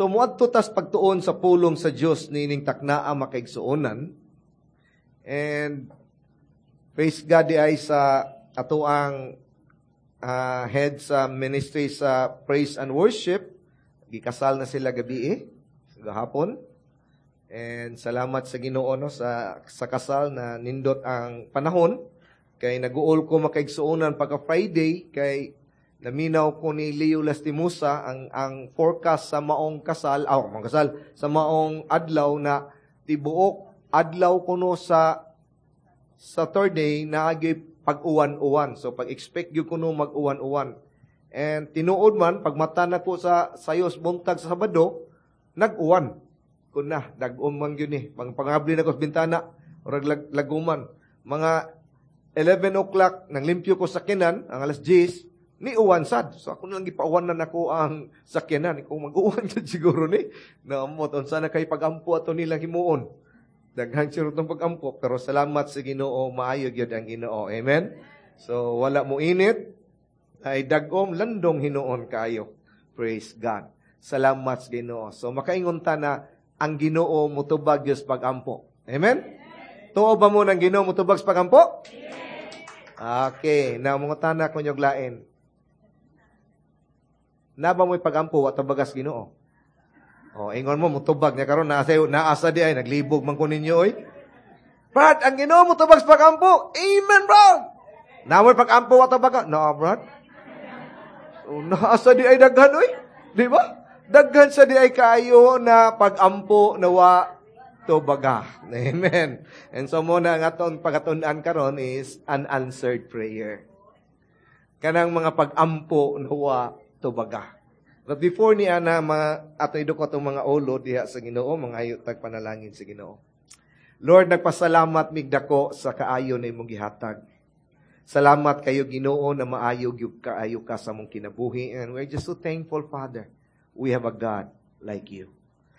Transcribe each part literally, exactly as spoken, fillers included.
So muadto tas pagtuon sa pulong sa Dios niining taknaa makaigsuonan. And praise God diay sa atoang uh, head sa ministry sa praise and worship. Gikasal na sila gabi eh, gahapon. And salamat sa Ginoo no sa sa kasal na nindot ang panahon kay naguol ko makaigsuonan pagka Friday kay naminaw ko ni Leo Lastimosa ang ang forecast sa maong kasal, aw, maong kasal, sa maong adlaw na tibuok adlaw kuno sa Saturday naagi pag-uwan-uwan. So pag-expect gyud kuno mag-uwan-uwan. And tinuod man pagmata na ko sa sayos buntag sa Sabado, nag-uwan. Kun na dag-om man gyud ni. Pang pangabli na ko sa bintana, murag lag, laguman. Mga eleven o'clock nang limpyo ko sa sakyanan, ang alas diyes, ni uwan sad. So ako na lang gipauwan na nako ang sakyanan. Kung mag-uwan sad siguro ni, naamot unsa na kay pagampo ato nilang himuon. Daghan siguro tong pagampo, pero salamat sa Ginoo, maayo gyud ang Ginoo. Amen. So wala mo init, ay dagom landong hinuon kaayo. Praise God. Salamat sa Ginoo. So makaingon ta na ang Ginoo mutubag gyud sa pagampo. Amen. Tuo ba mo ng Ginoo mutubag sa pagampo? Okay, na mangutana ko inyong lain. Naa ba mo'y pagampo wa tubagas Ginoo? O, ingon mo mutubag niya karon naa sa naasa di ay naglibog man ko ninyo oy. Brad, ang Ginoo mutubag sa pagampo. Amen, bro. Naa mo'y pagampo wa tubaga? No, Brad. So, naasa di ay daghan oy. Di ba? Daghan sa di ay kaayo na pagampo na wa tubaga. Amen. And so mo na nga atong pagatunan karon is unanswered prayer. Kanang mga pagampo na wa tubaga. But before ni ana mga ato idukot atong mga ulo diha sa Ginoo, mangayo tag panalangin sa Ginoo. Lord, nagpasalamat mig dako sa kaayo na imong gihatag. Salamat kayo Ginoo na maayo gyud kaayo ka sa among kinabuhi and we're just so thankful Father. We have a God like you.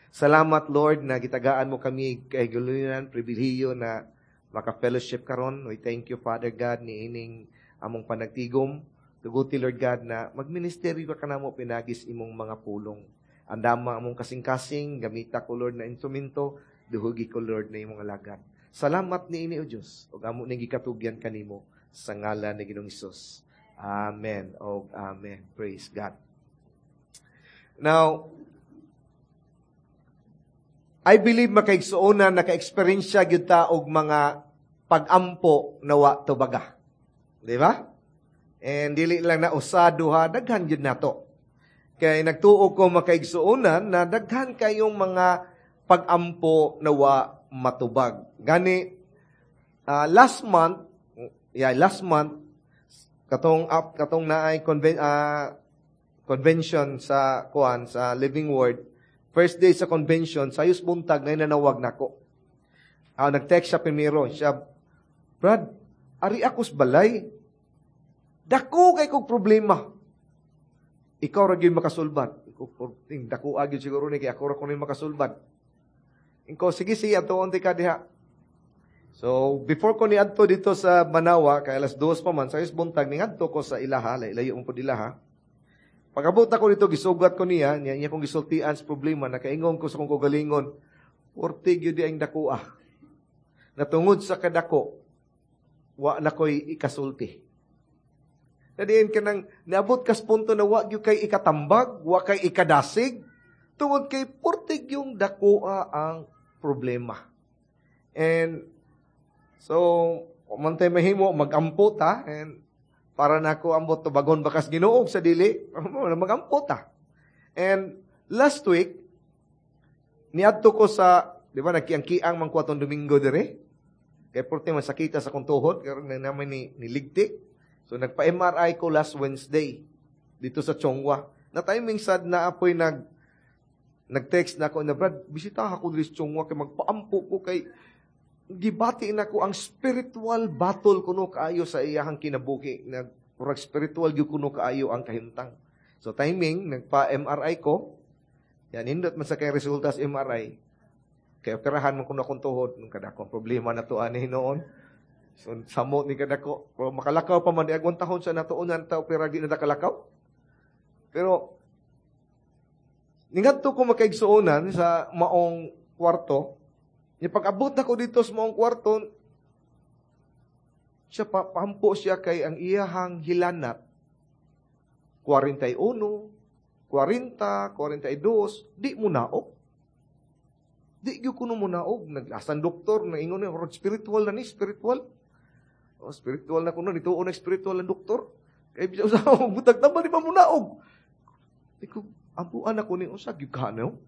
Salamat Lord na gitagaan mo kami kay gulunan pribilehiyo na maka-fellowship karon. We thank you Father God niining among panagtigom. Tuguti Lord God na magministeryo ka kanamo pinagis imong mga pulong. Andama among kasing-kasing, gamita ko Lord na instrumento, duhugi ko Lord na imong alagad. Salamat niini o Dios ug amo ning gikatugyan kanimo sa ngalan ni Ginoong Hesus. Amen. Og amen. Praise God. Now, I believe makaigsuonan naka-eksperyensya gyud ta og mga pag-ampo na wa tubaga. Di ba? And dili lang na usa duha, daghan gyud nato. Kay nagtuo ko makaigsuonan na daghan kayong mga pag-ampo na wa matubag. Gani uh, last month, yeah, last month katong up katong naay conven, uh, convention sa kuan sa Living Word. First day sa convention, sayos buntag na nanawag nako. Uh, nag-text siya primero, siya, Brad, ari ako sa balay. Dako kay kog problema. Ikaw ra gyud makasulbad. Ikaw dako gyud siguro ni kay ako ra kuno makasulbad. Inko sige sige adtoon ka diha. So before ko niadto dito sa Manawa kay alas dos pa man sayos buntag ningadto ko sa ilaha, layo mo pud ilaha. Pag-abot ako dito gisugat ko niya, niya, niya kong gisultian sa problema, nakaingon ko sa kong kaugalingon, porte gyud di ang dako ah. Natungod sa kadako, wa na ko'y ikasulti. Nadiin ka nang, niabot kas punto na wa gyud kay ikatambag, wa kay ikadasig, tungod kay portig yung dakoa ang problema. And, so, mantay mahimo, magampo ta, and para na ako ambot tubagon bakas Ginoo sa dili, magampo ta. And, last week, niadto ko sa, di ba, nagkiang-kiang man ko atong Domingo dire. Kay porte masakita sa kong tuhod, karon na naman ni, niligti. So, nagpa-M R I ko last Wednesday, dito sa Chong Hua. Na timing sad na apoy nag, nag-text na ako na, Brad, bisita ako diri sa Chong Hua, kay magpaampo ko kay gibati na ko ang spiritual battle kuno kaayo sa iyahang kinabuhi. Nag, murag spiritual gyud kuno kaayo ang kahimtang. So timing, nagpa-M R I ko, yan, hindot man sa kay resulta sa M R I. Kaya operahan mo kuno akong tuhod, nung kadako problema na to ani noon. So samot ni kadako, pero makalakaw pa man di agwan tahon sa natuunan ta opera di na kalakaw. Pero Ningadto ko, makaigsuonan, sa maong kwarto. Nya pag-abot nako dito sa maong kwarto, siya pa, paampo siya kay ang iyahang hilanat forty-one, forty, forty-two, di mo naog. Di gyud kuno mo naog. Nag-asan doktor, naingon niya, "Spiritual na ni, spiritual." Oh, spiritual na kuno, nituo na spiritual ang doktor. Kay bisa usa butag tama, di pa mo naog. Di ko, ampuan ako ni, unsa gyud ka no?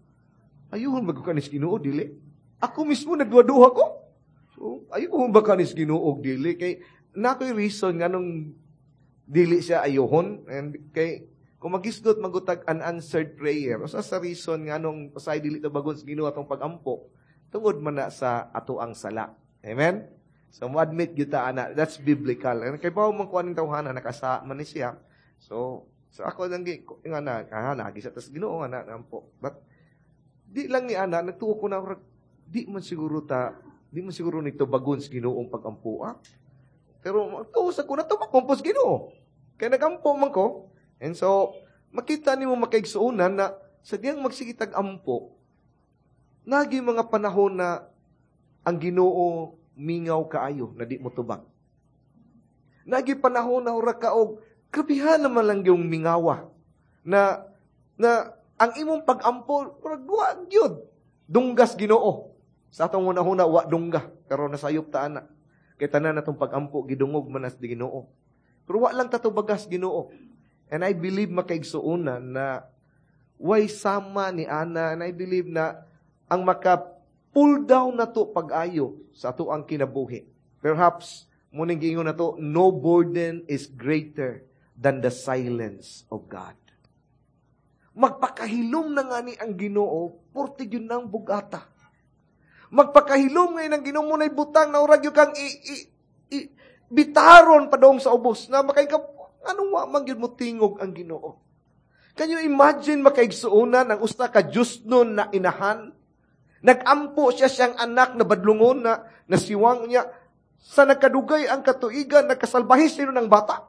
Ayuhon ba ka ni Ginoo dili? Ako mismo nagduha-duha ko. So, ayuhon ba ka ni Ginoo dili? Kay nakoy reason nganong dili siya ayuhon, and kay kung magisgot magutag unanswered prayer, usa sa reason nganong pasay dili tubagon sa Ginoo atong pagampo, tungod man na sa ato ang sala. Amen? So, mo admit gyud ta ana, that's biblical. And kay bawo man kuan ning tawhana, nakasa man ni siya. So, so ako lang gi nga na, ah, nagi sa tas Ginoo nga na nampo. But di lang ni ana, nagtuo ko na di man siguro ta, di man siguro ni tubagon sa Ginoong pagampo, ah. Pero magtuo sa ko na tubag man sa Ginoo. Kay nagampo man ko. And so, makita nimo, makaigsuonan, na sa diyang magsigitag ampo, nagi mga panahon na ang Ginoo mingaw kaayo na di mo tubag. Nagi panahon na ura ka og grabihan naman lang yung mingawa na na ang imong pag-ampo murag wa gyud dunggas Ginoo. Sa atong una-una wa dungga, pero nasayop ta ana. Kay tanan natong pag-ampo gidungog man as di Ginoo. Pero wa lang tatubagas Ginoo. And I believe, makaigsuonan, na way sama ni ana, and I believe na ang maka pull down na to pag-ayo sa ato ang kinabuhi. Perhaps, muning giingon na to, no burden is greater than the silence of God. Magpakahilom na nga ni ang Ginoo, porti yun ng bugata. Magpakahilom ngayon ang Ginoo mo na'y butang na urag yun kang i, i, i, bitaron padong sa ubos na makay ka anong wa man gyud mo tingog ang Ginoo. Can you imagine, makaigsuonan, ang usa ka Diyos nun na inahan? Nagampo siya siyang anak na badlungon na nasiwang niya. Sa nagkadugay ang katuigan, nagkasalbahis sino ng bata.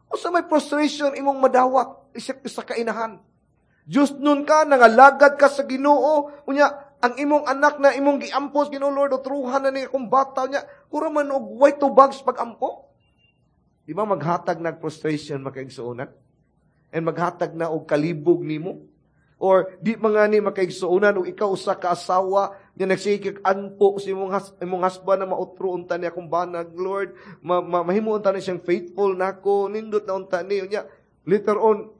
O sa may frustration imong madawat, isip sa kainahan. Diyos nun ka, nangalagad ka sa Ginoo, unya, ang imong anak na imong giampos, Ginoo Lord, otruhan na ni akong bata niya, ura man og way tubag sa pagampo. Di ba maghatag nag frustration, makaigsuonan? And maghatag na og kalibog nimo? Or di mga ni, makaigsuonan, og ikaw usa ka asawa nga nagsigig anpo sa imong has, imong husband na mautro unta ni akong banag, Lord, ma, ma, mahimo unta ni siyang faithful nako, nindot na unta ni unya later on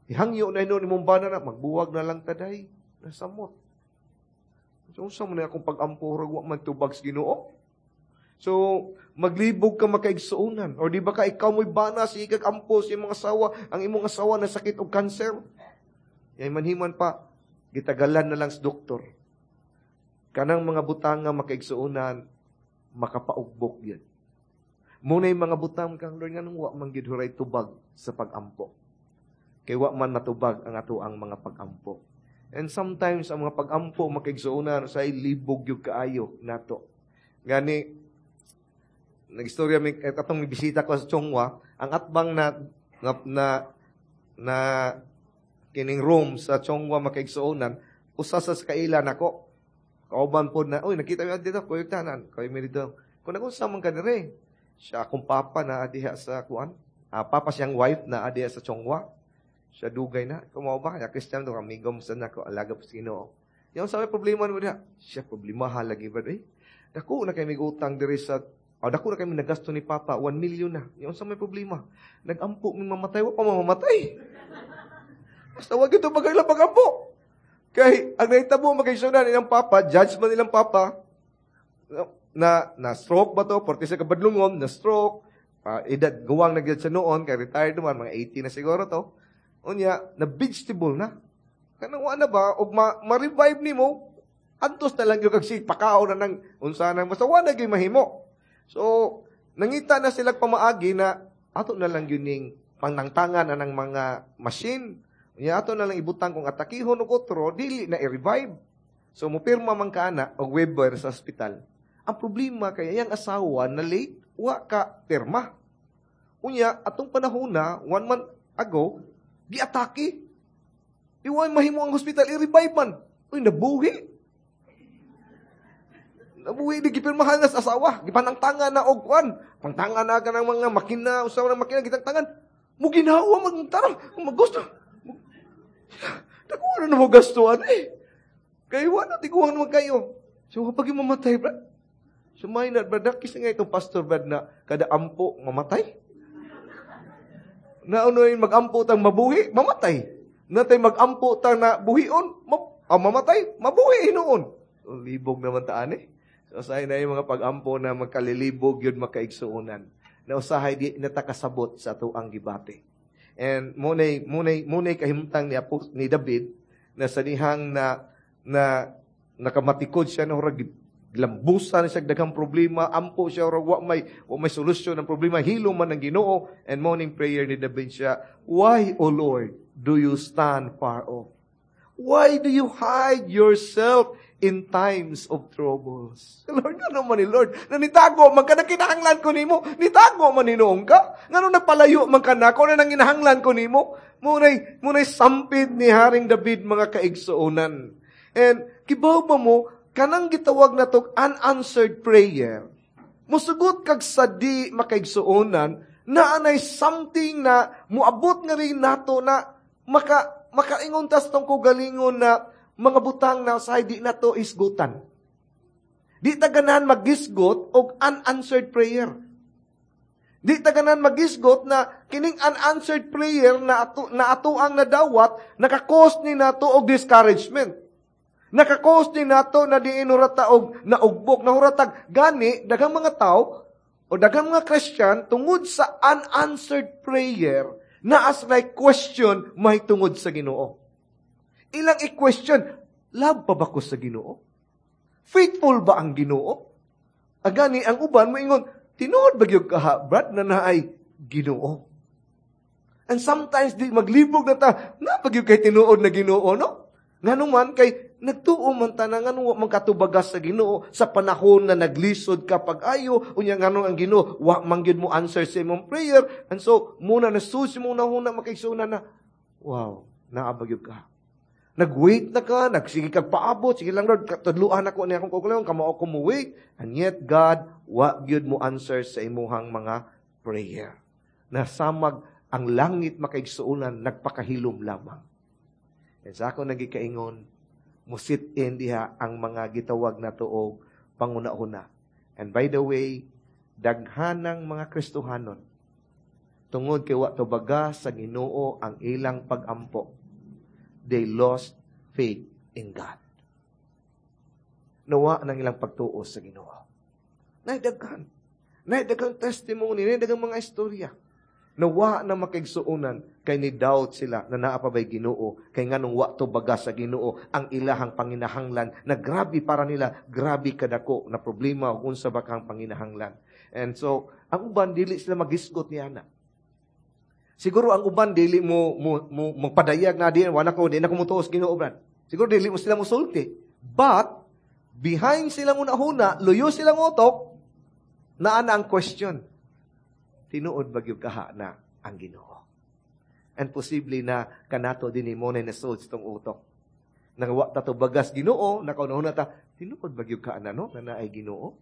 ihangyo na hinuon imong bana na magbuwag na lang taday, nasamot. So unsa man ni akong pag-ampo, wa man tubag sa Ginoo? So maglibog ka, makaigsuonan. Or di ba ka ikaw mo'y bana, sige kag ampo sa imong asawa, ang imong asawa na sakit og cancer. Yay manhiman pa, gitagalan na lang sa doktor. Kanang mga butang nga, makaigsuonan, makapaugbok yan. Muna yung mga butang kang Lord, nganong wa man gid huray tubag sa pagampo? Kay wa man matubag ang ato ang mga pagampo. And sometimes ang mga pagampo, makaigsuonan, sa libog yung kaayo nato. Gani nagistorya mi eh, atong bisita ko sa Chonghua, ang atbang na na na, na kining room sa Chonghua, makaigsuonan, usa sa kaila nako. Kauban po na, "Uy, nakita mo dito, kuy tanan, kuy mi dito." Kung nagunsa man ka dire? Siya akong papa na diha sa kuan. Ah, papa siyang wife na diha sa Chonghua. Siya dugay na. Kumaw ba? Kaya Christian to, amigo mo sa nako, alaga po sa Ginoo. Yung sa may problema mo diha. Siya problema ha lagi ba? Eh, dako na kay mig utang diri sa. Oh, dako na kami nagasto ni Papa, one million na. Yung sa may problema. Nagampo mi mamatay, wa pa mamatay. Basta wag ito bagay lang pagampo. Kay ang nahitabo, makaigsuonan, ilang papa, judgment ilang papa, na na stroke ba to, porte sa kabadlungon, na stroke, uh, edad guwang na sa noon, kay retired naman, mga eighty na siguro to. Unya, na vegetable na. Kanang wa na ba, og ma, ma-revive nimo, antos na lang yung kag pakaon na nang unsa nang basta wa na gyud mahimo. So, nangita na sila pamaagi na ato na lang yun ning panangtangan anang mga machine. Unya ato na lang ibutang kung atakihon og otro, dili na i-revive. So, mupirma man ka ana og waiver sa ospital. Ang problema kay iyang asawa na late, wa ka pirma. Unya, atong panahon na, one month ago, giatake. Di wa mahimo ang hospital, i-revive man. Uy, nabuhi. Nabuhi, di gipirmahan na sa asawa. Gipanangtangan na og kwan. Pangtangan na ka ng mga makina, usaw ng makina, gitangtangan. Mo ginawa, magtarang, magusto. Dako na mo gastuan eh. Kay wala tiguang naman kayo. So, kapag yung mamatay, brad, sumay na, brad, nakis nga itong pastor, brad, na kada ampo, mamatay. Naunoy mag-ampo tang mabuhi, mamatay. Natay mag-ampo tang na buhion, ma ah, mamatay, mabuhi hinuon. So, libog naman taan eh. So, usahay na yung mga pag-ampo na magkalilibog yun makaigsuonan. Na usahay di natakasabot sa atuang gibati. And munay, munay, munay kahimtang ni, Apo, ni David na sa dihang na, na nakamatikod siya na hurag lambusan siya daghang problema, ampo siya hurag wa may wa may solusyon ng problema, hilo man ng Ginoo. And morning prayer ni David siya, "Why, O Lord, do you stand far off? Why do you hide yourself in times of troubles?" Lord, ano man ni Lord? Na nitago man ka na kinahanglan ko nimo, nitago man hinuon ka. Ngano nagpalayo man ka nako na nanginahanglan ko nimo? Munay, munay sampid ni Haring David, mga kaigsuonan. And kibaw ba mo, kanang gitawag na to unanswered prayer, musugot kag sadi, makaigsuonan, na anay something na muabot nga rin nato na maka makaingon tas tong kaugalingon na mga butang na sa di nato isgutan. Di ta ganahan magisgot og unanswered prayer. Di ta ganahan magisgot na kining unanswered prayer na ato, na ato ang nadawat naka-cause ni nato og discouragement. Naka-cause ni nato na diin hurata og naugbok, na huratag gani daghang mga tao o daghang mga Christian tungod sa unanswered prayer na as like question may tungod sa Ginoo. Ilang i-question, love pa ba ko sa Ginoo? Faithful ba ang Ginoo? Agani ang uban moingon, tinuod ba gyud kaha, brad, na naay Ginoo? And sometimes di maglibog na ta, na pa gyud kay tinuod na Ginoo, no? Ngano man kay nagtuo man ta na ngano wa man katubagas sa Ginoo sa panahon na naglisod ka pag-ayo, unya ngano ang Ginoo wa man gyud mo answer sa imong prayer. And so muna na susi mo na huna, makaigsuonan, na wow, naa ba gyud ka, nag-wait na ka, nagsige kag paabot, sige lang Lord, tudluan ako ni akong kaugalingon, kamao ko mo wait, and yet God wa gyud mo answer sa imuhang mga prayer. Nasamag ang langit, makaigsuonan, nagpakahilom lamang. And sa ako nagikaingon, musit in diha ang mga gitawag na tuog panguna-una. And by the way, daghanang mga Kristohanon, tungod kay wa tubaga sa Ginoo ang ilang pagampo, they lost faith in God. Nawa ng ilang pagtuo sa Ginoo. Naidaghan. Naidaghan testimony, naidaghan mga istorya. Nawa na, makaigsuonan, kay ni doubt sila na naa pa ba'y Ginoo, kay nganong wa tubaga sa Ginoo ang ilahang panginahanglan na grabe para nila, grabe kadako na problema o unsa ba kang panginahanglan. And so, ang uban dili sila magisgot ni ana. Siguro ang uban dili mo mo, mo magpadayag na di wala ko di na ko mutuos Ginoo, brad. Siguro dili mo sila musulti. But behind silang una-huna, luyo silang utok, naa na ang question. Tinuod ba gyud kaha na ang Ginoo? And posible na kanato din mo na nasod sa tong utok. Nang wa ta tubagas Ginoo, nakauna ta, tinuod ba gyud ka na no na naay Ginoo?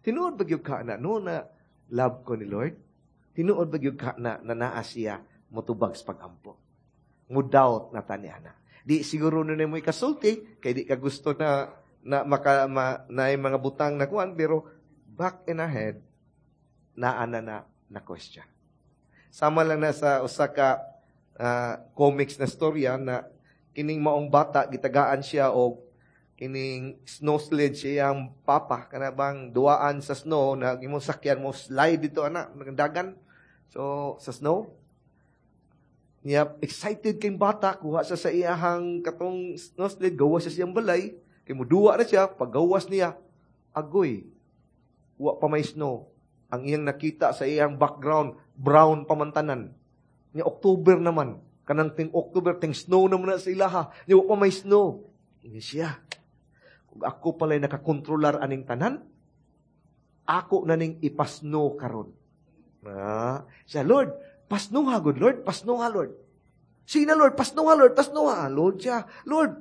Tinuod ba gyud ka na no na love ko ni Lord? Tinuod ba gyud ka na na naa siya motubag sa pagampo? Mo doubt na ta ni ana. Di siguro na mo ikasulti kay di ka gusto na na maka ma, na mga butang na kuan, pero back in ahead naa na na na question. Sama lang na sa usa ka uh, comics na storya na kining maong bata gitagaan siya og kining snow sled siyang papa, kana bang duaan sa snow na imong sakyan mo slide dito ana dagan so sa snow niya. Excited kay bata, kuha sa sa iyahang katong snow sled, gawas sa siyang balay kay muduwa na siya. Paggawas niya, agoy, wa pa may snow. Ang iyang nakita sa iyang background, brown pamantanan. Nya October naman, kanang ting October, ting snow naman na sa ilaha. Nya wa pa may snow. Ini siya, kung ako pala'y nakakontrolar aning tanan, ako na ning ipasnow karon. Ah, siya, "Lord, pasnow ha, good Lord, pasnow ha, Lord." Sige na, Lord, pasnuha, Lord, pasnuha. Lord siya, Lord,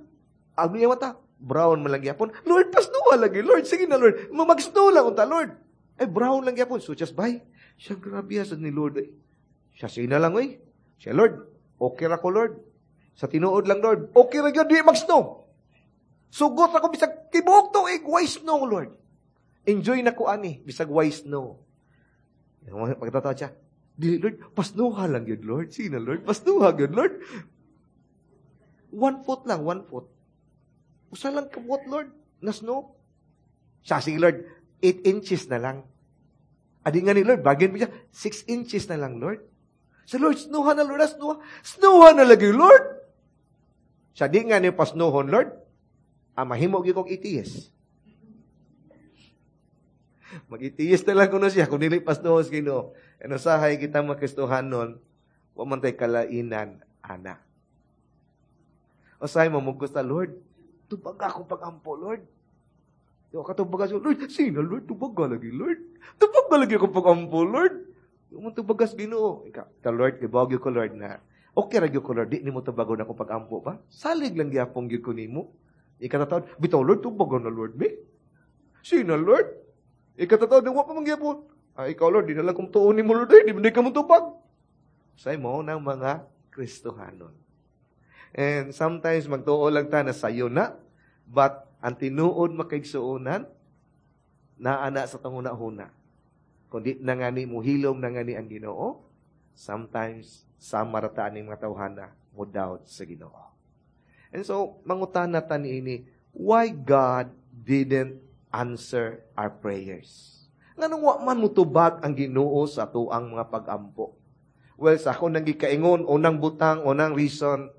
ang iya mata, brown man lang gyapon. Lord, pasnuha lagi, Lord, sige na, Lord. Mag-snow lang unta, Lord. Eh, brown lang gyapon. So, just bye. Siya, grabe sa ni Lord. Eh. Siya, sige na lang, oy. Siya, Lord, okay ra ko, Lord. Sa tinuod lang, Lord, okay ra gyud, di mag-snow. Sugot ako, bisag tibuok tuig, way snow, Lord. Enjoy na ko ani, bisag way snow. Pagtatawa siya, di, Lord, pasnuha lang yun, Lord. Sige na, Lord, pasnuha yun, Lord. One foot lang, one foot. Usa lang kabuot, Lord, na snow. Siya, sige, Lord, eight inches na lang. Adi nga ni Lord, bagin pa siya, six inches na lang, Lord. Sa Lord, snuha na, Lord, snuha. Snuha na lagi, Lord. Siya, di nga ni pasnuhon, Lord. Ah, mahimo gyud kog atheist. Mag-atheist na lang kuno siya kung dili pasnuhon sa Ginoo. Ano sahay kita mga Kristohanon, wa man tay kalainan ana. Usahay mo mugos ta, Lord, tubag ako pag-ampo, Lord. Di ka tubagas, Lord, sino, Lord, tubag ka lagi, Lord. Tubag ka lagi ako pag-ampo, Lord. Di mo tubagas Ginoo. Ika, ta Lord, ibawag ko, Lord, na okay ra gyud ko, Lord, di nimo tubagon ako pag-ampo ba? Salig lang gyapon gyud ko nimo. Ikatatawad, bitaw, Lord, tubagon na, Lord, me. Sino, Lord? Ikatatawad, wa pa man gyapon. Ah, ikaw, Lord, di na lang kung tuon nimo, Lord, eh, di, di ka mo tubag. Say mo ng mga Kristohanon. And sometimes magtuo lang ta na sayo na, but ang tinuod makaigsuonan, naa na sa tanguna-huna. Kung di na nga ni muhilom na nga ni ang Ginoo, sometimes sama ra ta aning mga tawhana mo doubt sa Ginoo. And so, mangutana ta niini, why God didn't answer our prayers? Nganong wa man mutubag ang Ginoo sa atuang mga pag-ampo? Well, sa ako nang gikaingon, unang butang, unang reason,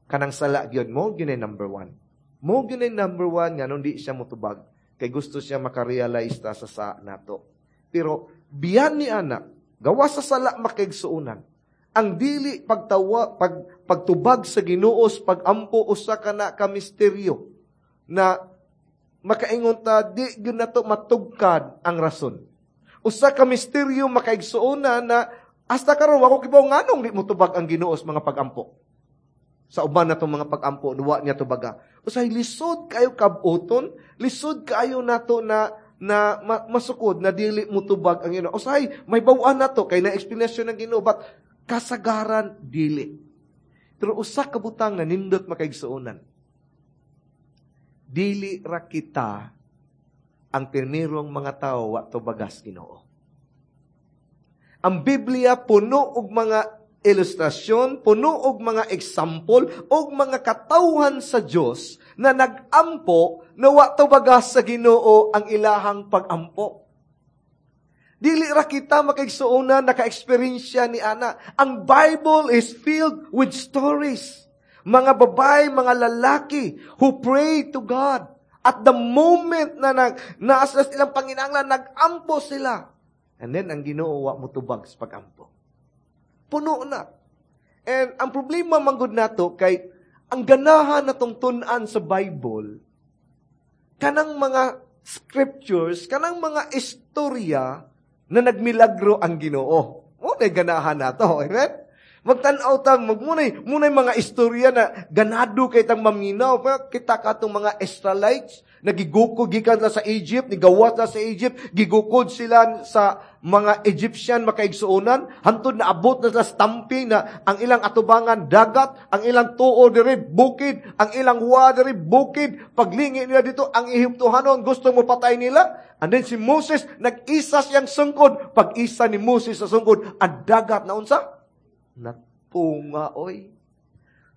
kanang sala gyud mo gyud number one. Mo gyud number one nganong di siya mutubag kay gusto siya makarealize ta sa sa nato. Pero biyan ni ana, gawa sa sala makaigsuonan. Ang dili pagtawa pag pagtubag sa Ginoo sa pag-ampo usa ka na ka misteryo na makaingon ta di gyud nato matugkad ang rason. Usa ka misteryo makaigsuonan na hasta karon wa ko kibaw nganong di motubag ang Ginoo sa mga pag-ampo. Sa uban natong mga pag-ampo, wa niya tubaga. Usay lisod kayo kabuton, lisod kayo nato na na masukod na dili motubag ang Ginoo. Usay may baw-an nato kay na explanation ng Ginoo but kasagaran dili. Pero usa ka butang na nindot makaigsuonan. Dili ra kita ang primerong mga tao wa tubagas Ginoo. Ang Biblia puno og mga ilustrasyon, puno og mga example og mga katawhan sa Dios na nag-ampo na wa tubagas sa Ginoo ang ilahang pag-ampo. Dili ra kita makaigsuonan naka-eksperyensya ni ana. Ang Bible is filled with stories. Mga babae, mga lalaki who pray to God. At the moment na nag, naasa silang panginanglan, nag-ampo sila. And then, ang Ginoo wa motubag sa pag-ampo. Puno na. And ang problema manggod nato kay ang ganahan natong tun-an sa Bible, kanang mga scriptures, kanang mga istorya na nagmilagro ang Ginoo. Mo na ganahan nato, amen? Magtan-aw ta, magmunay, munay mga istorya na ganado kay tang maminaw. Kita katong mga Israelites, nagigukod gikan na sa Egypt, nigawas na sa Egypt, gigukod sila sa mga Egyptian makaigsuonan, hantod na abot na sa stamping na ang ilang atubangan dagat, ang ilang tuo diri bukid, ang ilang wa diri bukid, paglingi nila dito ang Ehiptohanon gusto mo patay nila. And then si Moses nag-isa siyang sungkod, pag-isa ni Moses sa sungkod, ang dagat na unsa? Natunga oy.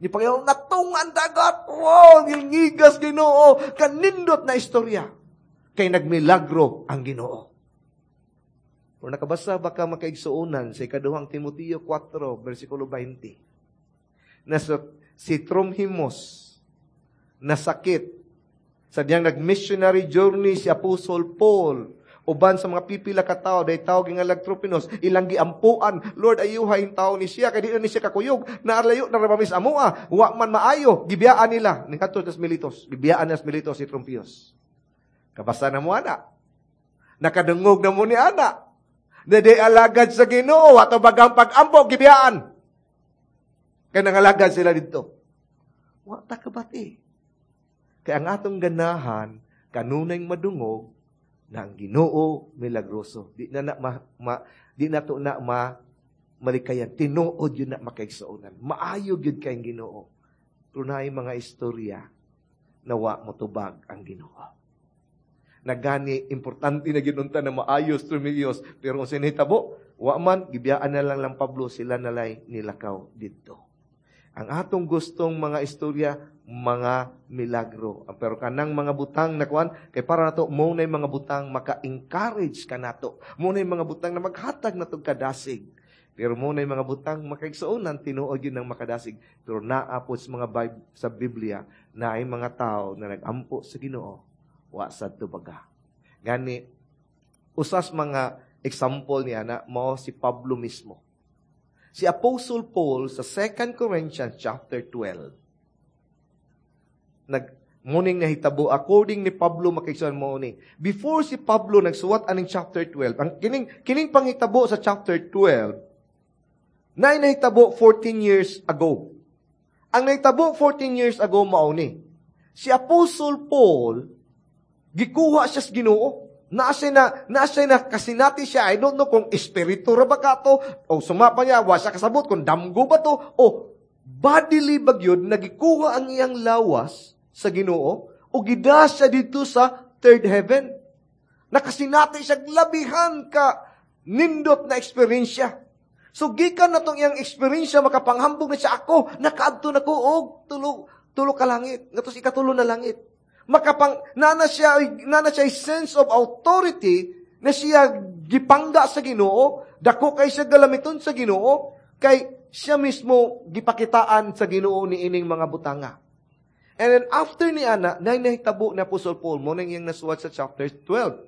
Ni Panginoon, natunga ang dagat. Wow, gilngigas Ginoo. Kanindot na istorya. Kay nagmilagro ang Ginoo. Kung nakabasa baka makaigsuonan sa ikaduhang Timoteo four, versikulo twenty. Na sa, si Tromhimos na sakit sa diyang nag-missionary journey si Apostle Paul uban sa mga pipila ka tawo, day tao gingalag Tropinos, ilang giampuan, Lord ayuha yung tao ni siya, kay di na ni siya kakuyog, naarlayo na rabamis amoa, wa man maayo, gibiyaan nila, ni kadto tas Miletos, gibiyaan nas Miletos si Trompios. Kabasa na mo ana. Nakadungog na mo ni ana. Na di alagad sa Ginoo, ato bagang pag-ampo, gibiyaan. Kay nangalagad sila didto. Wa ta kabati. Kay ang atong ganahan, kanunay madungog, na ang Ginoo milagroso. Di na na ma, ma di na to na ma malikayan. Tinuod gyud na, makaigsuonan. Maayo gyud kay ang Ginoo. Pero naay mga istorya na wa motubag ang Ginoo. Nagani importante na gyud unta na maayos Trumilios, pero kung sinahitabo, wa man gibiyaan na lang lang Pablo, sila nalay nilakaw didto. Ang atong gustong mga istorya, mga milagro. Pero kanang mga butang na kuan, kay para nato mo na mga butang maka-encourage ka nato. Mo na mga butang na maghatag nato kadasig. Pero mo na mga butang makaigsuonan, tinuod gyud ng makadasig. Pero naa pod sa mga Bib- sa Biblia na ay mga tao na nagampo sa Ginoo, wa sad tubaga. Gani usas mga example niya na mao si Pablo mismo. Si Apostle Paul sa Second Corinthians chapter twelve. Nag muning nahitabo according ni Pablo, makaigsuonan, mo ni. Before si Pablo nagsuwat aning chapter twelve, ang kining kining panghitabo sa chapter twelve na nahitabo fourteen years ago. Ang nahitabo fourteen years ago mao ni. Si Apostle Paul gikuha siya sa Ginoo. Naa siya na, naa siya na kasinati siya. I don't know kung espiritu ra ba ka to, o suma pa niya, wa siya kasabot kung damgo ba to, o bodily ba gyud, nagikuha ang iyang lawas sa Ginoo, o gida siya dito sa third heaven. Nakasinati siya labihan ka nindot na eksperyensya. So gikan na tong iyang eksperyensya, makapanghambog na siya, ako, nakaadto na ko og tulo, tulo ka langit, ngadto sa ikatulo na langit. Makapang, nana siya, nana siya sense of authority na siya gipangga sa Ginoo, dako kay siya galamiton sa Ginoo, kay siya mismo gipakitaan sa Ginoo ni ining mga butanga. And then after ni ana, nay nahitabo na Apostle Paul, mo nang iyang nasuwat sa chapter twelve.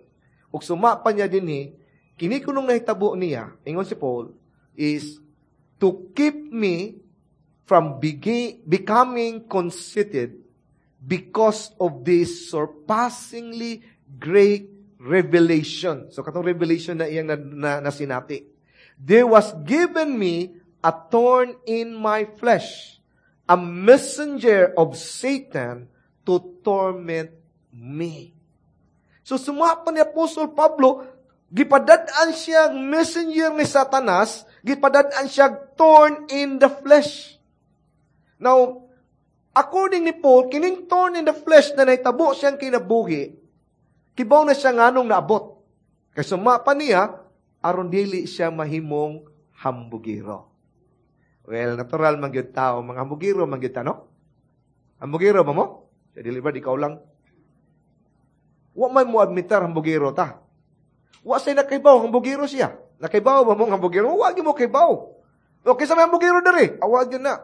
Ug suma pa niya dinhi, kini kunong nahitabo niya, ingon si Paul, is to keep me from begi-, becoming conceited because of this surpassingly great revelation. So, katong revelation na iyang na, na, nasinati. There was given me a thorn in my flesh, a messenger of Satan to torment me. So, suma pa ni Apostle Pablo, gipadad-an siya messenger ni Satanas, gipadad-an siya thorn in the flesh. Now, according ni Paul, kining thorn in the flesh na nahitabo siyang kinabuhi, kibaw na siya nganong naabot. Kay suma pa niya, aron dili siya mahimong hambugiro. Well, natural man gyud tao, mga hambugiro man gyud ta, no? Hambugiro ba mo? Sa dili ba, ikaw lang. Wa man mo admitar hambugiro ta. Wa say nakaibaw, hambugiro siya. Nakaibaw ba mo hambugiro? Wa gyud mo kaibaw. Okay sa may hambugiro diri, awa gyud na.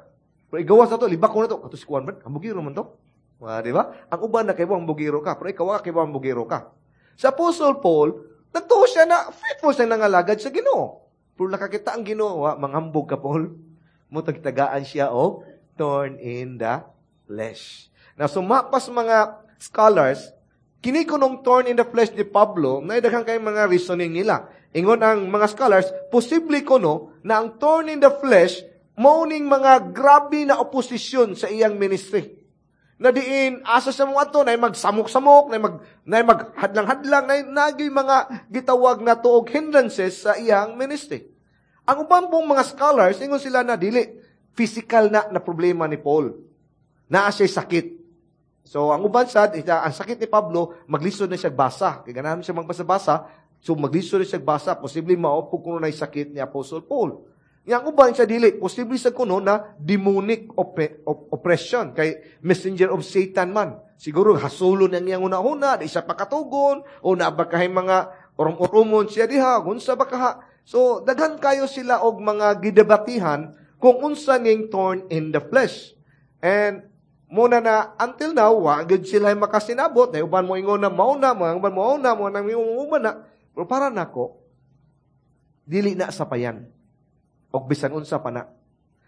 Pero igawas na to, libak ko na to. Kato si Kuan man, hambugiro man to. Ah, di ba? Ang uban na kaibaw hambugiro ka, pero ikaw wa kaibaw hambugiro ka. Sa Apostle Paul, nagtuo siya na faithful siya nangalagad sa Ginoo. Pero nakakita ang Ginoo, wa, manghambog ka, Paul. Mutagtagaan siya og thorn in the flesh. Na sumapas mga scholars, kini kunong thorn in the flesh ni Pablo, naidaghan kay mga reasoning nila. Ingon ang mga scholars, posible kuno na ang thorn in the flesh mao ning mga grabe na oposisyon sa iyang ministry. Na diin, asa sa mga ato, na magsamok-samok, na mag, na maghadlang-hadlang, na naging mga gitawag na tuog hindrances sa iyang ministry. Ang uban pong mga scholars, ingon sila na dili, physical na, na problema ni Paul. Naa siya'y sakit. So, ang uban sad, ita, ang sakit ni Pablo, maglisod na siya basa. Kaya ganahan siya magbasa-basa, so maglisod na siya basa, posible maopog kuno na sakit ni Apostle Paul. Yang uban siya dili, posible sa kuno na demonic op-, op-, oppression, kay messenger of Satan man. Siguro hasulo nang iyang una-una, di siya pakatugon, o nabakahay mga urom-urumon siya diha, unsa ba kaha. So, daghan kayo sila og mga gidebatihan kung unsa ning thorn in the flesh. And muna na until now, wa gid sila makasinabot. Na uban mo ingon na mauna, mga uban mo una, mo nang uban na. Pero para nako, dili na sa payan. Og bisan unsa pa na.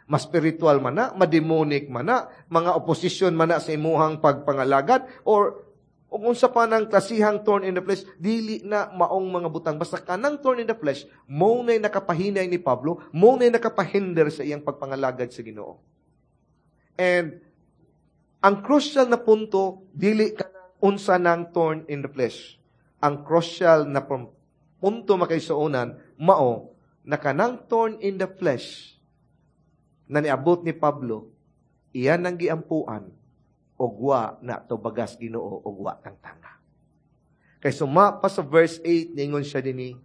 Mas spiritual man na, mademonic man na, mga opposition man na sa imuhang pagpangalagad, or og unsa pa nang klasihang thorn in the flesh, dili na maong mga butang. Basta kanang thorn in the flesh, mo na'y nakapahinay ni Pablo, mo na'y nakapahinder sa iyang pagpangalagad sa Ginoo. And ang crucial na punto, dili ka unsa ng thorn in the flesh. Ang crucial na punto, makaigsuonan, mao na kanang thorn in the flesh na niabot ni Pablo, iyan ang giampuan og wa na tubagas Ginoo og wa tangtanga. Kay suma pa sa verse eight, ningon siya dinhi,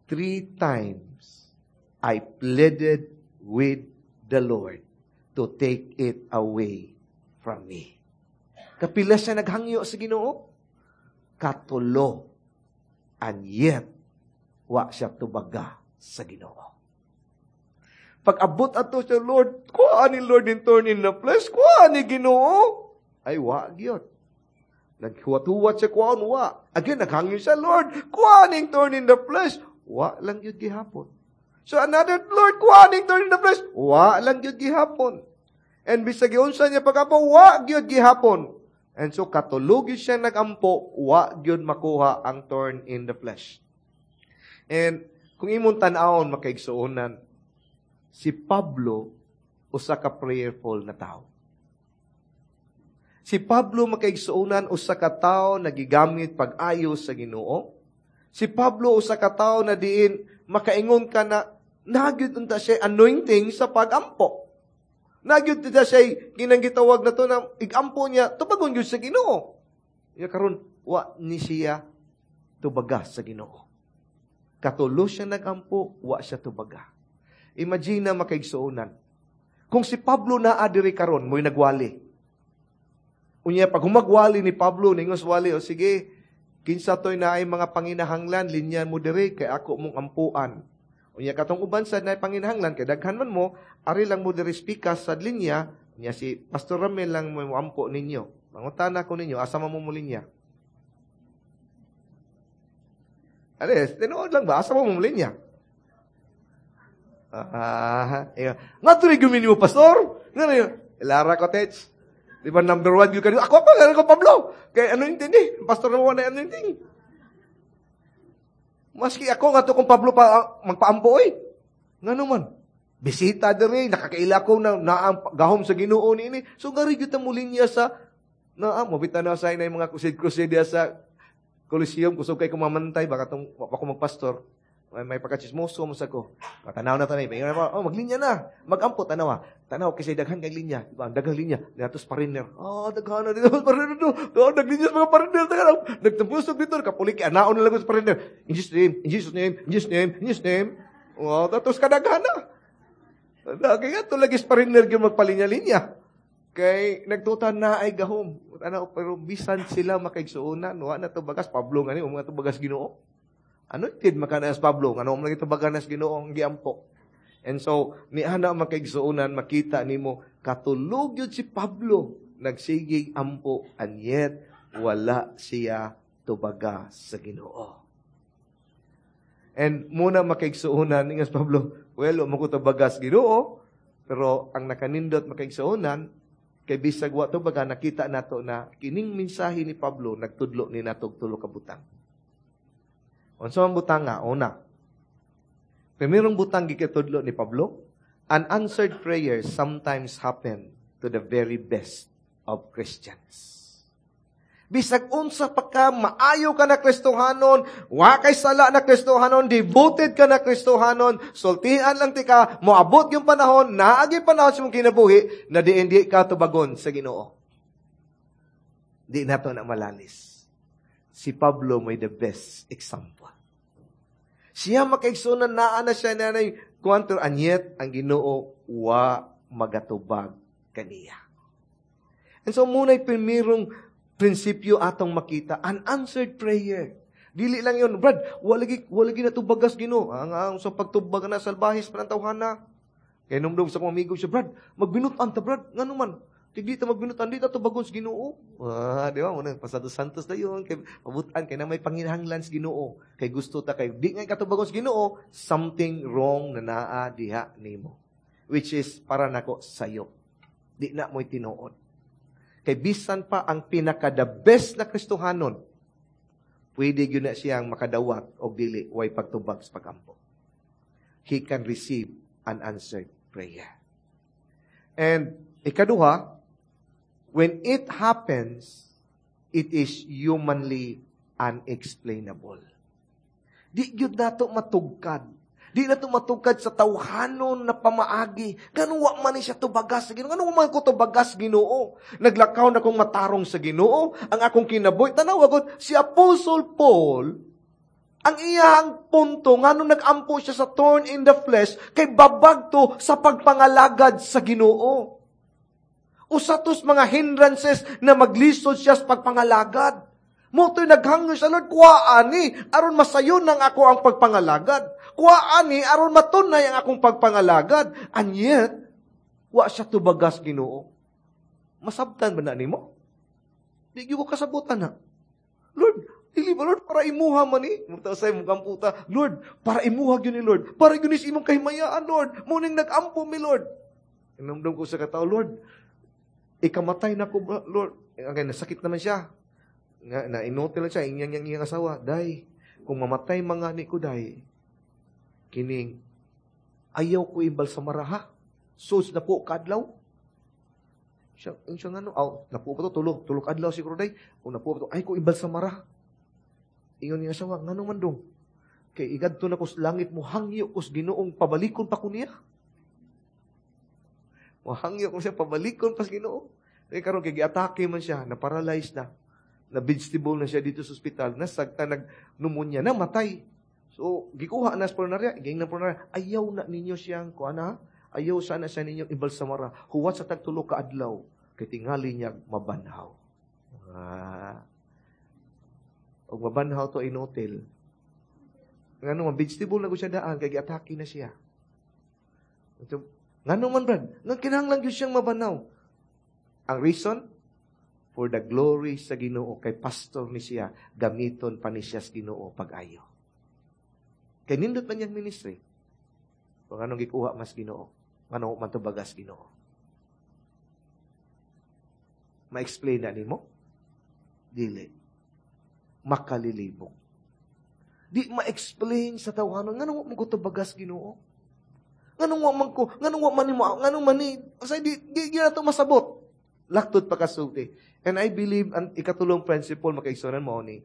"Three times I pleaded with the Lord to take it away from me." Kapila siya naghangyo sa Ginoo? Katulo. And yet, wa siya tubaga sa Ginoo. Pag abot ato siya, "Lord, kuha ni Lord in thorn in the flesh, kuha ni Ginoo." Ay, wa gyud. Naghuwat-huwat siya, kuhaon, wa. Again, naghangyo siya, "Lord, kuha ning thorn in the flesh." Wa lang gyud gihapon. So another, "Lord, kuha ning thorn in the flesh." Wa lang gyud gihapon. And bisag giunsa niya pag-ampo, wa gyud gihapon. And so katulog siya nagampo, wa gyud makuha ang thorn in the flesh. And kung imong tan-awon, makaigsuonan, si Pablo usa ka prayerful na tao. Si Pablo, makaigsuonan, usa ka tawo na gigamit pag-ayo sa Ginoo. Si Pablo usa ka tawo na diin makaingon ka na nagyud unta siya anointing sa pagampo. Nagyud unta siya kinang gitawag na to na igampo niya tubagon gyud sa Ginoo. Ya karon wa ni siya tubaga sa Ginoo. Katulo siya nagampo, wa siya tubaga. Imagine na, makaigsuonan. Kung si Pablo naa diri karon, mo'y nagwali. Unya pag humagwali ni Pablo, ningos wali, "O sige, kinsa to'y naay mga panginahanglan, linyan mo diri kay ako mong ampuan." Unya katong uban sad naay panginahanglan kay daghan man mo, ari lang mo diri speakers sa linya, unya si Pastor Ramel lang mo ampo ninyo. Mangutana ko ninyo, asa man mo mo linya? Ares, tinuod lang ba? Asa mo mo linya? Ah, uh, nga tuloy gumini mo, Pastor. Nga Lara Cottage. Di ba number one yun kanino? Ako, ako, ako, Pablo. Kay ano yung tindi? Pastor na wala ano yung Maski ako nga to kung Pablo pa magpaampo oy. Nga naman. Bisita diri, nakakaila ko na naang gahom sa Ginoo niini. So gari gyud ta mo linya sa naa mobita na sa inay mga crusade-crusade sa Coliseum, kusog kay kumamantay baka tong wa ko magpastor. May, may pagkachismoso mo sa ko. Matanaw na tanay. May oh, maglinya na. Magampo, tanawa. Tanaw kasi daghan kay linya. Diba? Daghang linya. Dinatos pariner. Oh, daghan na dito pariner dito. Oh, naglinya sa mga pariner. Daghan. Nagtapusog dito. Kapulik, anaon na lang sa pariner. In Jesus name, in Jesus name, in Jesus name, in Jesus name. Oh, tapos kadaghan na. Kaya ito lagi sa pariner yung magpalinya-linya. Kay nagtutan na ay gahom. Ano, pero bisan sila makaigsuonan, wa na to bagas Pablo ngani, mga to bagas Ginoo. Anointed makanas Pablo, ngano mo lagi tubagan nas Ginoo ang giampo. And so, ni ana, makaigsuonan, makita nimo katulog yun si Pablo nagsigig ampo and yet wala siya tubaga sa Ginoo. And muna, makaigsuonan, ingas Pablo, "Well, mo ko tubaga sa Ginoo," pero ang nakanindot, makaigsuonan, kay bisag wa tubaga, nakita nato na kining mensahe ni Pablo nagtudlo ni natog tulo ka butang. Unsa man butang nga? Una, primerong butang gikitudlo ni Pablo, unanswered prayers sometimes happen to the very best of Christians. Bisag unsa pa ka, maayo ka na Kristohanon, wa kay sala na Kristohanon, devoted ka na Kristohanon, sultian lang ti ka, moabot yung panahon, naagi panahon sa mong kinabuhi, na di hindi ka tubagon sa Ginoo. Di nato na malalis. Si Pablo may the best example. Siya, makaigsunan, naa na siya na kuanto, and yet ang Ginoo wa magatubag kaniya. And so muna'y primerong prinsipyo atong makita, unanswered prayer. Dili lang yun, "Brad, wala gi wala gi natubagas Ginoo." Ang, ang sa pagtubag na salbahis pa ng tawhana. Kay numdum sa akong amigo siya, "Brad, magbinutan ta, Brad." "Ngano man?" "Kay di ta magbinutan, di ta tubagon sa Ginoo." Ah, di ba? Muna pasado santos na yun. Kay pabutan kay na may panginahanglan sa Ginoo. Kay gusto ta kay di nga katubagon sa Ginoo, something wrong na naa diha nimo. Which is para nako sayo. Di na mo'y tinuod. Kay bisan pa ang pinaka the best na Kristohanon, pwede gyud na siyang makadawat og dili way pagtubag sa pagampo. He can receive an answered prayer. And Ikaduha, when it happens, it is humanly unexplainable. Di gyud nato matugkad. Di nato matugkad sa tawhanon na pamaagi. Ngano wa man ni siya tubagas sa Ginoo. Ngano man ko tubagas Ginoo. Naglakaw na kong matarong sa Ginoo. Ang akong kinabuhi. Tanawa gud si Apostle Paul, ang iyang punto, ngano nag-ampo siya sa thorn in the flesh, kay babag to sa pagpangalagad sa Ginoo. Usa tos mga hindrances na maglisod siya sa pagpangalagad. Mao to'y naghangyo sa Lord, kuha ani, aron masayon ng ako ang pagpangalagad. Kuha ani, aron matunay ang akong pagpangalagad. And yet, wa siya tubagas Ginoo. Masabtan ba na nimo? Di ko kasabutan na. Lord, dili ba Lord, para imuha man ni? Muta sa imong kamputa, Lord, para imuha gyud ni Lord. Para gyud ni sa imong kahimayaan, Lord. Mao ning nag-ampo mi, Lord. Inumdum ko sa katao, Lord, ikamatay na ko, Lord. Ang nasakit naman siya. Nga, na inutil lang siya, inyang iyang iyang asawa, Day, kung mamatay mga ni ko, day, kining, ayaw ko imbalsamara ha. Sus na po kadlaw. Siya, siya nga no, aw, napo pa to, tulo, tulo kadlaw siguro day. Kung napo pa to, ay ko imbalsamara. Ingon niya asawa, ngano man dong? Kay igadto na ko sa langit mo, hangyo ko sa Ginoong pabalikon pa ko niya. Mo hangyo ko siya, pabalikon pa sa Ginoo. Kay karon kay giatake man siya, na-paralyze na. Na vegetable na siya dito sa ospital, nasagta nag pneumonia, namatay. So, gikuha na sa punerarya, ging na punerarya, ayaw na ninyo siyang, kuha na, ayaw sana siya ninyong ibalsamara. Huwat sa tagtulo ka adlaw, kay tingali niya mabanhaw. Ah. Og mabanhaw to inutil. Ngano man, vegetable na ko siya daan, kay giatake na siya. Ito, ngano man, Brad? Nga kinahanglan gyud siyang mabanhaw. Ang reason? For the glory sa Ginoo kay pastor ni siya, gamiton pa ni siya sa Ginoo pag-ayo. Kay nindot man niyang ministry. Kung anong gikuha mas Ginoo, ngano man tubagas Ginoo. Ma-explain na nimo? Dili. Makalilibog. Di ma-explain sa tawhanon ngano mo ko tubagas Ginoo. Nganong wa man ko, nganong wa man nimo, nganong man ni, sa di di, di na to masabot. Laktod pa kasulti. And I believe ang ikatulong principle makaigsuonan mo ni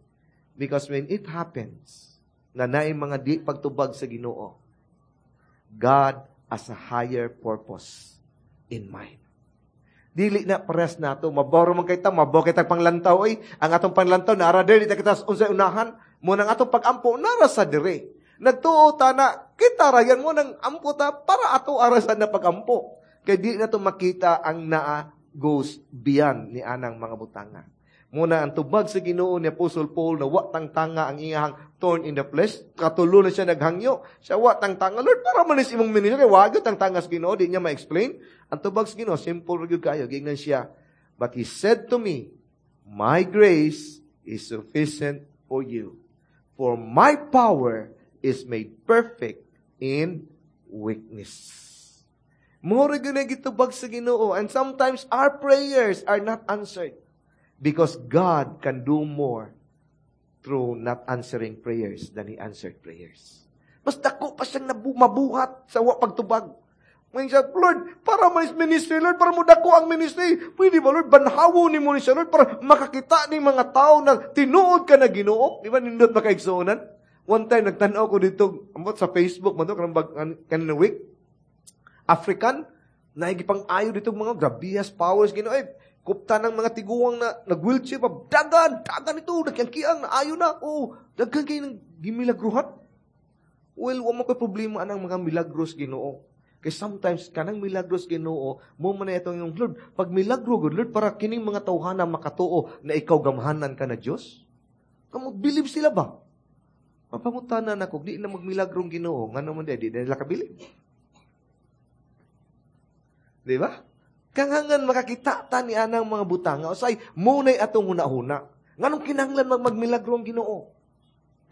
because when it happens na naay mga di pagtubag sa Ginoo, God has a higher purpose in mind. Dili na pares nato, maboro man kay ta, maboro kay ta panglantaw oy. Ang atong panglantaw naara diri ta kita unsay unahan, mo nang atong pagampo nara sa dire. Nagtuo ta na kita rayan mo nang ampo ta para ato arasan na pagampo. Kay di na to makita ang naa goes beyond ni anang mga butanga. Muna ang tubag sa Ginoo ni Apostle Paul na wa tang tanga ang iyang thorn in the flesh. Katulo na siya naghangyo. Siya wa tang tanga. Lord, para man is imong ministry. Kay wa gyud tang tanga sa Ginoo. Di niya ma-explain. Ang tubag sa Ginoo, simple ra gyud kayo. Giingnan siya. But he said to me, my grace is sufficient for you. For my power is made perfect in weakness. Mura gyud na gitubag sa Ginoo. And sometimes our prayers are not answered. Because God can do more through not answering prayers than He answered prayers. Mas dako pa siyang nabu- mabuhat sa wa pagtubag. Ngayon siya, Lord, para man is ministry, Lord, para mo dako ang ministry. Pwede ba, Lord, banhawo ni mo ni siya, Lord, para makakita ni mga tao na tinuod ka na Ginoo. Di ba, nindot makaigsuonan? One time, nagtanaw ko dito, ambot sa Facebook, man to, kanang bag, kanang week, African, naigipang ayo dito mga grabihas powers, Ginoo, ay, kupta ng mga tiguang na nag-wheelchair pa, dagan, dagan ito, nagyangkiang, naayo na, oh, dagan kayo ng gimilagruhan. Well, wa mo ko'y problema anang mga milagros Ginoo. Kay sometimes, kanang milagros Ginoo, mo man na itong yung Lord, pag milagro, good Lord, para kining mga tawhana makatuo na ikaw gamhanan ka na Diyos. Kamo, believe sila ba? Mapangutana na ko, di na magmilagrong Ginoo, ngano man di, di na nila kabilib. Di ba? Kangangan makakita ta ni anang mga butanga, usay munay atong huna-huna. Nganong kinahanglan mag magmilagro ang Ginoo?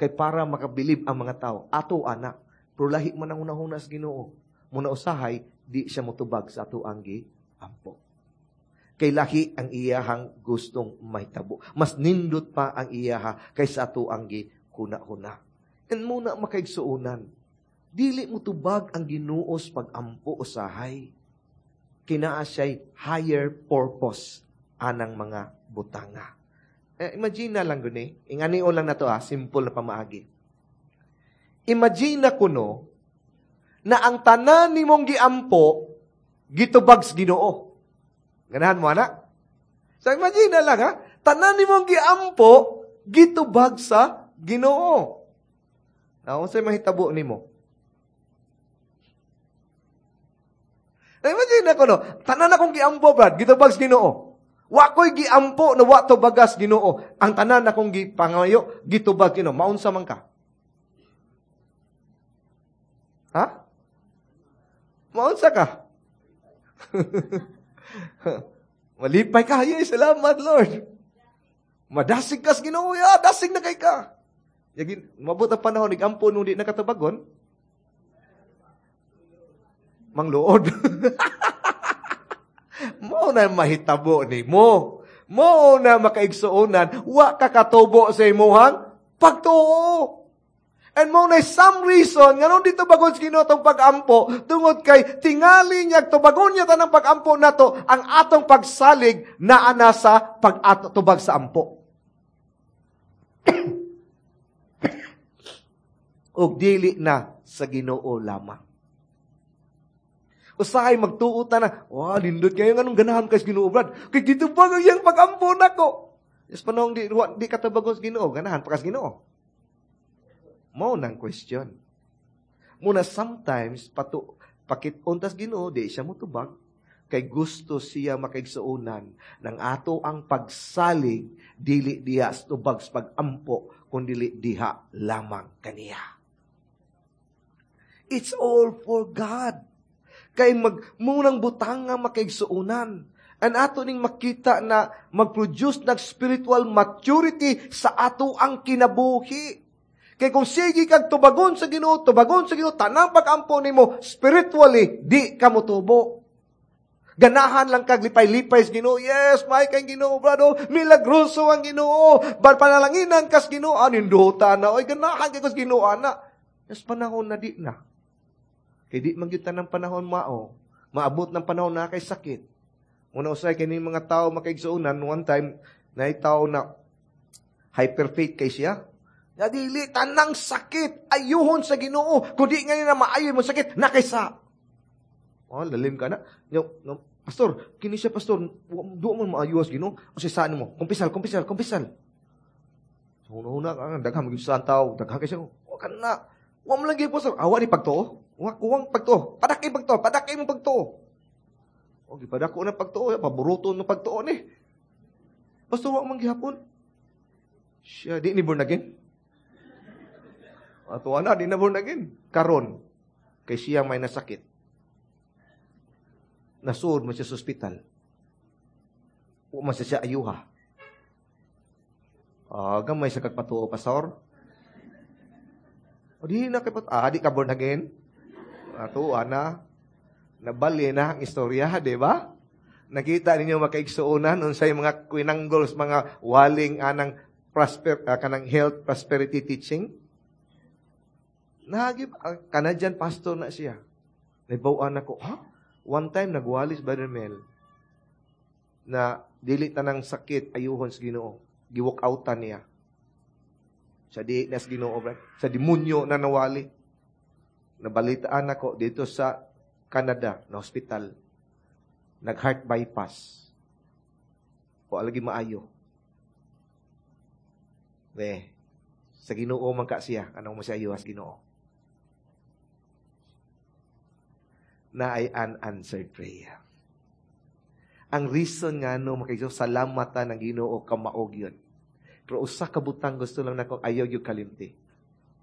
Kay para makabilib ang mga tao, ato anak, pero lahi man ang huna-huna sa Ginoo. Muna usahay, di siya motubag sa ato ang giampo. Kay lahi ang iyahang gustong mahitabo. Mas nindot pa ang iyaha kaysa ato ang gihuna-huna. And muna makaigsuonan, dili mo tubag ang Ginoo sa pagampo usahay. Kinaa siya'y higher purpose anang mga butanga. Eh, imagine na lang guni. Inganion lang na to ah, simple na pamaagi. Imagine na kuno na ang tanan nimong giampo gitubag sa Ginoo. Ganahan mo ana? So imagine na lang ha, tanan nimong giampo gitubag sa Ginoo. Now, unsay mahitabo nimo? Now, imagine na kuno, tanan akong giampo, Brad, gitubag sa Ginoo. Wa ko'y giampo na wa tubagas Ginoo. Ang tanan akong gipangayo, gitubag Ginoo. Maunsa man ka? Ha? Maunsa ka? Malipay ka. Ay, salamat, Lord. Madasig ka sa Ginoo. Ya, dasig na kay ka. Yagin, mabot ang panahon, nag-ampo nung di nakatubagon. Mangluod. Mo na mahitabo ni mo. Mo na makaigsuonan, wa ka katubo sa imuhang pagtuo. And mo na some reason, nganong dito bagon sa Ginoo tong pag-ampo, tungod kay tingali niya, tubagon niya tanang pag-ampo nato, ang atong pagsalig naa na sa pag-tubag sa ampo. Og dili na sa Ginoo lamang. Usahay magtuo ta na, wow, lindot kayo, anong ganahan kay Ginoo, Brad? Kay dito ba ang iyang pag-ampo nako? Yes, panahon di, di ka tubagon sa Ginoo, ganahan pa ka sa Ginoo. Mao nang question. Muna sometimes, patu, pakit-on tas Ginoo, di siya mutubag. Kay gusto siya makaigsuonan ng ato ang pagsalig, dili diha sa tubag sa pag-ampo, kun dili diha lamang kaniya. It's all for God. Kay mag, munang butang nga makaigsuonan. And ato ning makita na mag-produce ng spiritual maturity sa ato ang kinabuhi. Kay kung sige kag tubagon sa Ginoo, tubagon sa Ginoo, tanang pag-ampo nimo spiritually, di ka motubo. Ganahan lang kag lipay-lipay sa Ginoo. Yes, may kang Ginoo, brado. Milagroso ang Ginoo. Bar panalanginan kas Ginoo, aninduta na. Oy, ganahan kay kas Ginoo ana. Yes, panahon na di na. Kay di man gyud tanang panahon mao. Maabot ng panahon na kay sakit. Una usay kini mga tao makaigsuonan, one time naay tao na hyperfaith kay siya. Na dili tanang sakit ayuhon sa Ginoo. Kun di ngayon na maayo mo sakit na kaysa. Oh, lalim ka na. No, no, pastor, kini siya pastor, duo man maayo sa Ginoo. O saan mo? Kumpisal, kumpisal, kumpisal. So, una-una ka, daghang magyud sa tao, daghang kay siya. Wa ka na. Wa man lang gyud pastor. Awa ni pagtuo. Wa kuwang pagtuo. Padaki pagtuo, padaki mo pagtuo. O gipadako na pagtuo, paboruto na pagtuo ni. Pastor, wa man gihapon. Siya di ni born again. Ato na, di na born again. Karon, kay siya may nasakit. Nasuod man siya sa ospital. Wa man siya siya ayuha. Ah, gamay sa kagpatuo, pastor. O di na kay pat, ah, di ka born again. Ato na, nabali na ang istorya, di ba? Nakita ninyo makaigsuonan unsay mga kwinanggols, mga waling anang prosper, uh, kanang health prosperity teaching. Nahagip, uh, Canadian pastor na siya. Nabawaan ako, ha? One time, nagwalis Brother Mel na dili tanang sakit ayuhon sa Ginoo. Giwalk outan niya. Sa di na sa Ginoo, brad. Sa demonyo na nawali. Nabalitaan ako dito sa Canada, na hospital. Nag-heart bypass. O alagi maayo. Eh, sa Ginoo man ka siya. Anong mo siya ayuhas Ginoo? Na ay unanswered prayer. Ang reason nga no, makikita, salamat ta ng Ginoo kamaog yun. Pero usa ka butang gusto lang nako ayaw yung kalimti.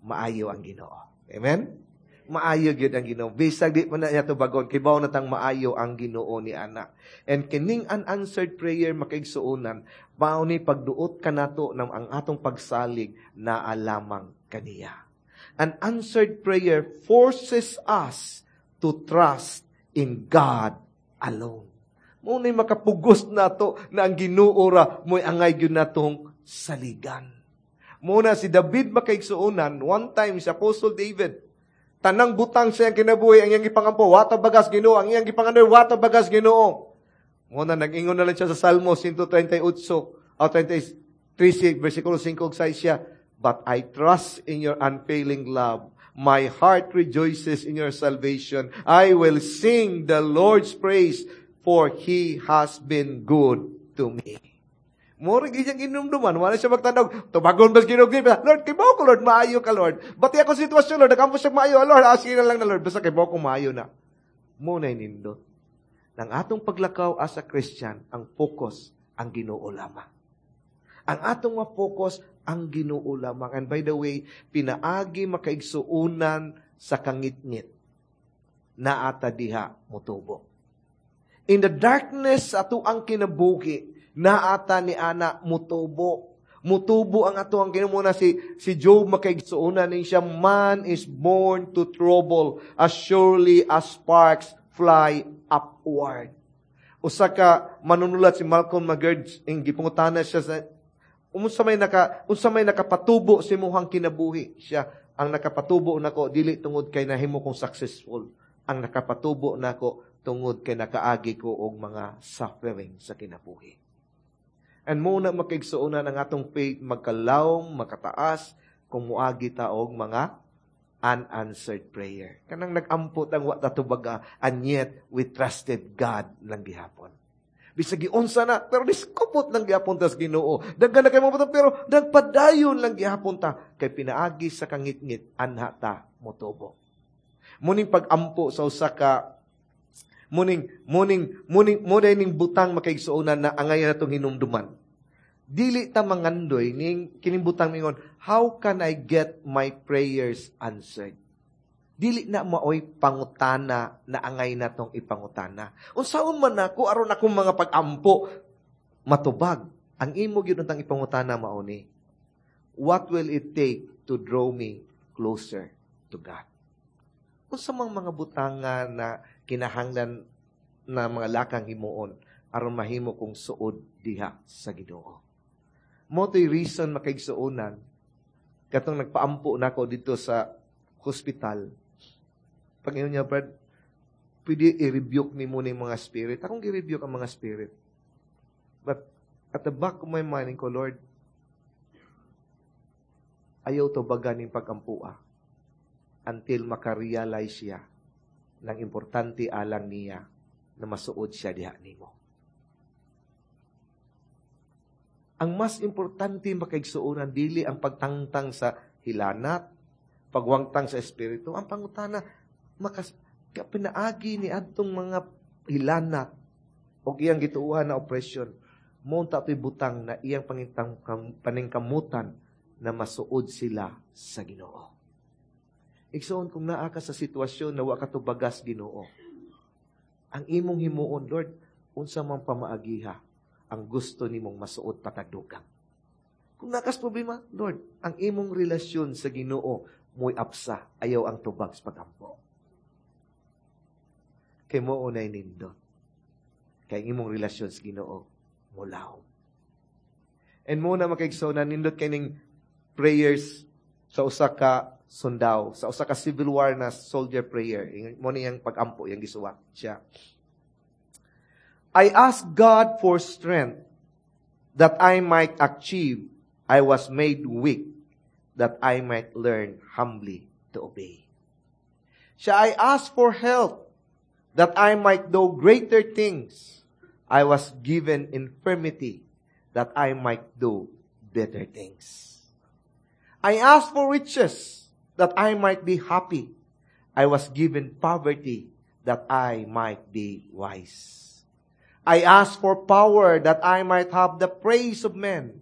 Maayo ang Ginoo. Amen? Maayo gyud ang Ginoo. Bisag di man na niya tubagon, kibaw na tang maayo ang Ginoo ni ana. And kining unanswered prayer makaigsuonan, mao ni pagduot kanato ng ang atong pagsalig na alamang kaniya. An answered prayer forces us to trust in God alone. Mao ni makapugos nato na ang Ginoo ra mo'y angay gyud natong saligan. Muna si David makaigsuonan, one time si Apostle David, Tanang butang sa iyang kinabuhi, ang iyang gipangampo, wa tubaga sa Ginoo, ang iyang gipangandoy, wa tubaga sa Ginoo. Mao na nag-ingon na lang siya sa Salmo one thirty-eight o thirty-three versikulo five ug sais siya, "But I trust in your unfailing love. My heart rejoices in your salvation. I will sing the Lord's praise, for He has been good to me." Murag iyang inumduman, wala siya magtanaw, tubagon ba Ginoo? "Lord, kay ko, Lord, maayo ka, Lord. Bati ako sitwasyon, Lord, nagampo siya maayo, Lord, asige na lang na, Lord, basta kay ko maayo na." Mao na nindot. Nang atong paglakaw as a Christian, ang focus, ang Ginoo lamang. Ang atong ma-focus, ang Ginoo lamang. And by the way, pinaagi, makaigsuunan, sa kangitngit, naata diha motubo. In the darkness ato ang kinabuhi, naata ni ana mutubo. Mutubo ang ato ang kinamuna si si Job, makaigsuonan ni siya, "Man is born to trouble as surely as sparks fly upward." Usa ka manunulat, si Malcolm McGurd, ing gipangutana siya sa unsa may naka unsa may nakapatubo sa imuhang kinabuhi. Siya, "Ang nakapatubo nako dili tungod kay nahimo kong successful. Ang nakapatubo nako tungod kay nakaagi ko og mga suffering sa kinabuhi." And mao na, makaigsuonan, ang atong faith magkalawom, makataas kung muagi ta og mga unanswered prayer. Kanang nag-ampo tang wa tubaga, and yet we trusted God lang gihapon. Bisag giunsa na, pero niskupot lang gihapon tas Ginoo. Daghan na kay mo, pero nagpadayon lang gihapon ta kay pinaagi sa kangitngit anha ta motubo. Muning pag-ampo sa usa ka muning muning muning muning ning butang, makaigsuonan, na angayan natong hinumduman. Dili ta mangandoy ning kining butang mingon, "How can I get my prayers answered?" Dili na maoy pangutana na angay natong ipangutana. Unsaon man nako aron akong mga pag-ampo matubag? Ang imo gyud untang ipangutana mao ni, "What will it take to draw me closer to God? Unsa mang mga butanga na kinahanglan na mga lakang himuon aron mahimo kong suod diha sa Ginoo?" Mao to'y reason, makaigsuonan, katong nagpaampo nako dito sa hospital. Pag niya, "Brad, pwede i-rebuke ni mo mga spirit." Akong i-rebuke ang mga spirit. But at the back of my mind ko, "Lord, ayaw tubagan ning pag-ampua until makarealize siya ng importante alang niya na masuod siya diha nimo." Ang mas importante, makaigsuonan, dili ang pagtangtang sa hilanat, pagwangtang sa espiritu. Ang pangutana, makas pinaagi ni adtong mga hilanat o iyang gituohan na oppression, mao ta to'y butang na iyang pangintang paningkamutan na masuod sila sa Ginoo. Igsoon, kung naa ka sa sitwasyon na wa ka tubagas Ginoo, ang imong himuon, "Lord, unsa man pamaagiha ang gusto nimong masuod patagdugang?" Kung naa kas problema, Lord, ang imong relasyon sa Ginoo mo'y apsa, ayaw ang tubag sa pagampo. Kay mao nay nindot. Kay ang imong relasyon sa Ginoo mulawom. And mao na, makaigsoon, nindot kay ning prayers sa usa ka sundao, sa usa ka Civil War na soldier prayer. Mao niyang pag-ampo, yang gisuwat siya. "I asked God for strength that I might achieve. I was made weak that I might learn humbly to obey." Siya, "I asked for help that I might do greater things. I was given infirmity that I might do better things. I asked for riches that I might be happy. I was given poverty that I might be wise. I asked for power that I might have the praise of men.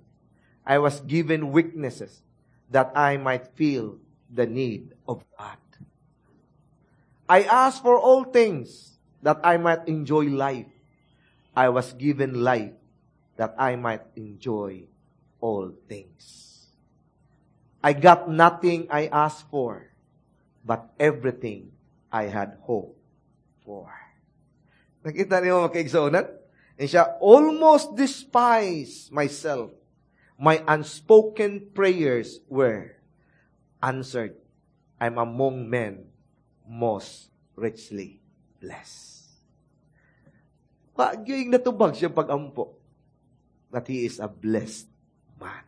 I was given weaknesses that I might feel the need of God. I asked for all things that I might enjoy life. I was given life that I might enjoy all things. I got nothing I asked for, but everything I had hoped for." Nakita niyo, makaigsuonan? And siya, "Almost despise myself. My unspoken prayers were answered. I'm among men most richly bless. Pagyoing natubag siya pag-ampo that he is a blessed man.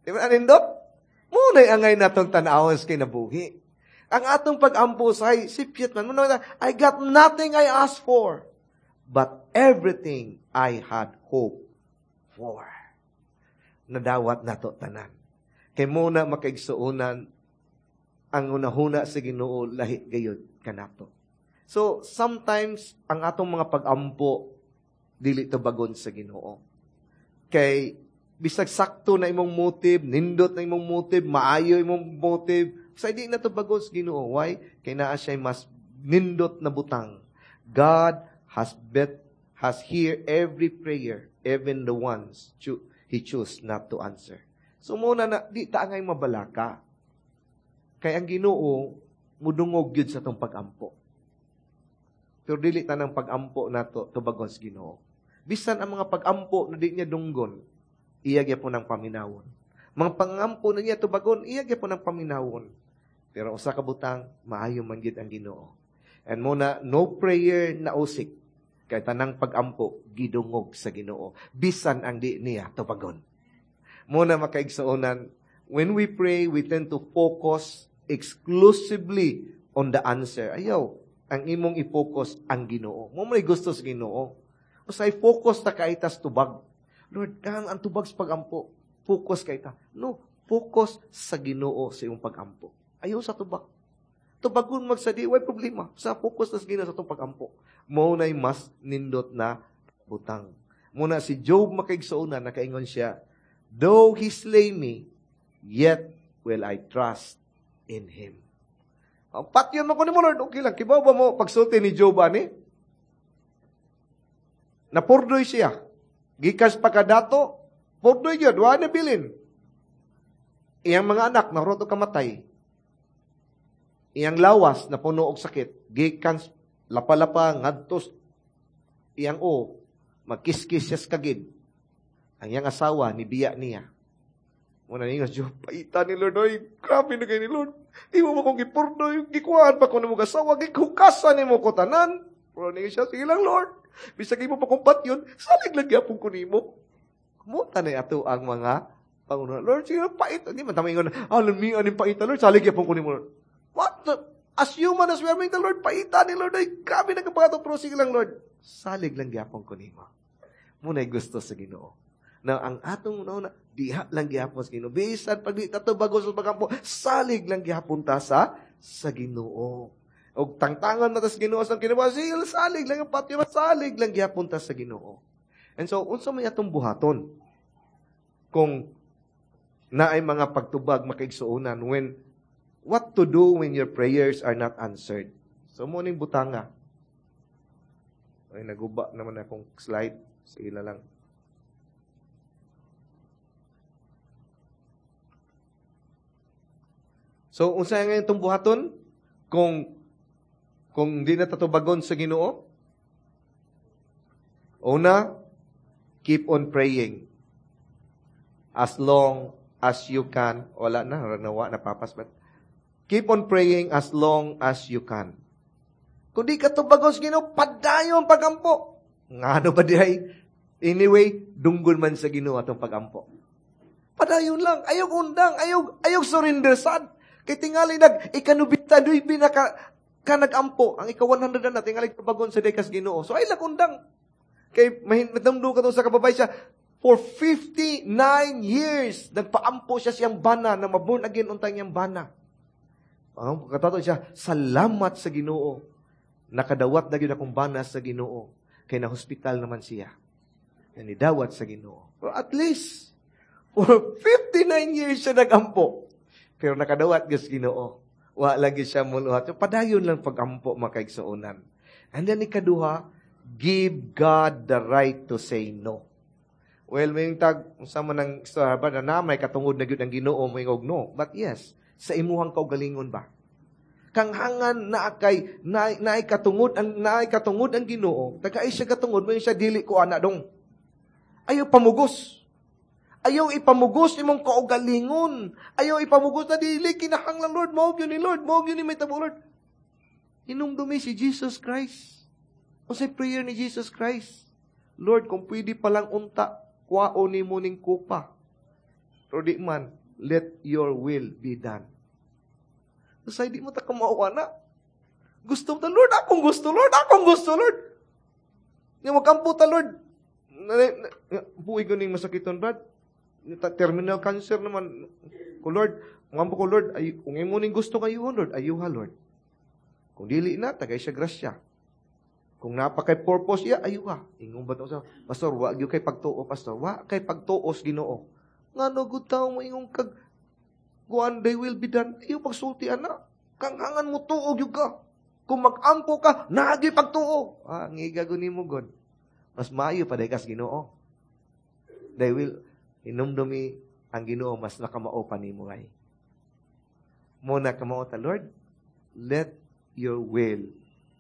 Di ba anindot? Muna'y angay natong tanawon sa kinabuhi. Ang atong pag-ampo sa sipyat man. Muna, I got nothing I asked for, but everything I had hope for. Nadawat nato tanan. Kay muna makaigsuonan ang unahuna sa Ginoo lahi gayud kanato. So sometimes ang atong mga pag-ampo dili tubagon sa Ginoo. Kay bisag sakto na imong motive, nindot na imong motive, maayo imong motive, sa di na tubagon sa Ginoo. Why? Kay naa siya mas nindot na butang. God has bet has hear every prayer, even the ones cho- he choose not to answer. So muna na di ta angay mabalaka. Kay ang Ginoo mudungog gyud sa tong pag-ampo. Pero dili tanang pag-ampo nato tubagon sa Ginoo. Bisan ang mga pag-ampo na di niya dunggon, iya gyapon ang paminawon. Mga pangampo na niya tubagon, iya gyapon ang paminawon. Pero usa ka butang, maayo man gyud ang Ginoo. And muna, no prayer na usik kay tanang pag-ampo gidungog sa Ginoo. Bisan ang di niya tubagon. Muna makaigsuonan, when we pray, we tend to focus exclusively on the answer. Ayaw, ang imong i-focus ang Ginoo. Mo may gusto sa Ginoo. Usay focus ta kay tas tubag. Lord, kan ang tubag sa pagampo. Focus kay ta. No, focus sa Ginoo sa imong pagampo. Ayaw sa tubag. Tubagon magsadi, way problema. Sa focus ta sa Ginoo sa itong pagampo. Mo na'y mas nindot na butang. Muna si Job makaigsuonan, nakaingon siya, though he slay me, yet will I trust in him. Ang patyon mo ko ni mo, Lord, okay lang. Kibaw ba mo pagsulti ni Job, ani? Napurdoy siya. Gikas pa kadato, purdoy yun, wala na bilin. Iyang mga anak, naroto kamatay. Iyang lawas, napuno og sakit. Gikan, lapa-lapa, ngadtos, iyang o, magkiskis siya sa kagid. Ang iyang asawa, nibiya niya. Muna niya, Job, paita ni Lord, oy, grabe na kayo ni Lord. Imo mo kong gipurdoy, gikuhaan pa ko nimo asawa, gikukasan nimo ko tanan. Pero niya siya, sige lang, Lord. Bisag imo pa kong patyon, salig lang gyapon ko nimo. Kumuta na ato ang mga pangunahan. Lord, sige lang, pait. Hindi man tama ingon, ah, lamian ni paita, Lord, salig gyapon ko nimo, Lord. What the? As human as we are, the Lord, paita ni Lord, ay, grabe na kapagato, pero sige lang, Lord. Salig lang gyapon ko nimo. Muna'y gusto sa Ginoo. Na ang atong una, diha lang gihapon sa Ginoo. Bisan pag di tato bago sa pagampo, salig lang gihapon ta sa sa Ginoo. Og tangtangan na ta sa Ginoo sa kinabuhi, salig lang ang patyo, salig lang gihapon ta sa Ginoo. And so unsa may atong buhaton kung naay mga pagtubag makaigsuonan when what to do when your prayers are not answered? So mo ning butanga. Ay naguba naman akong slide. Sige lang. So, unsa nga itong buhaton? Kung, kung di na tatubagon sa Ginoo? Una, keep on praying. As long as you can. Wala na, nawa, napapas. But keep on praying as long as you can. Kung di ka tubagon sa Ginoo, padayon pagampo. Ngano ba di ay? Anyway, dunggol man sa Ginoo atong pagampo. Padayon lang. Ayaw undang. Ayaw, ayaw surrender sad. Kay tingali nag ikanubita duy binaka ka nagampo ang ika one hundred na tingali tubagon sa dekas Ginoo. So ay lagundang. Kay mahinamdo ka sa kababay siya for fifty-nine years nagpaampo siya siyang bana na maborn again untang iyang bana. Ang katato siya, salamat sa Ginoo. Nakadawat na gyud akong bana sa Ginoo. Kay na hospital naman siya. Nidawat sa Ginoo. Pero at least for fifty-nine years siya nagampo. Pero nakadawat gyud sa Ginoo. Wa lagi siya muluhat. So, padayon lang pagampo makaigsuonan. And then ikaduha, give God the right to say no. Well, may tag unsa man ang istorya ba na may katungod na gyud ang Ginoo moingog no. But yes, sa imuhang kaugalingon ba? Kanghangan na kay naay na katungod ang naay katungod ang Ginoo. Tagay siya katungod mo siya dili ko ana dong. Ayaw pamugos. Ayaw ipamugos imong kaugalingon. Ayaw ipamugos na dili kinahanglan Lord, mao gyud ni Lord, mao gyud ni may tabo Lord. Hinumdumi si Jesus Christ. Unsay prayer ni Jesus Christ? Lord, kung pwede palang unta, kuhaon nimo ning kupa. Pero di man, let your will be done. Usahay di mo ta kamao na. Gusto mo ta, Lord, akong gusto, Lord, akong gusto, Lord. Nga magampo ta, Lord. Buhi ko ning masakiton, Brad. Terminal cancer naman. Ko, Lord, ngampo ko, Lord, ay, kung imo ning gusto kayo, Lord, ayuha, Lord. Kung dili na, tagay siya grasya. Kung naa pa kay purpose iya, ayuha. Ingon ba sa Pastor, wa gyud kay pagtuo, Pastor. Wa kay pagtuos Ginoo. Ngano gud tawo mo ingon kag kuan thy will be done. Iyo pagsulti ana. Kanghangan mo tuo gyud ka. Kung mag-ampo ka, naa gyud pagtuo. Ah, ngiga gud nimo God. Mas maayo pa kas Ginoo. Thy will hinumdumi ang Ginoo mas nakamao pa nimo ay. Mo na kamao ta Lord, let your will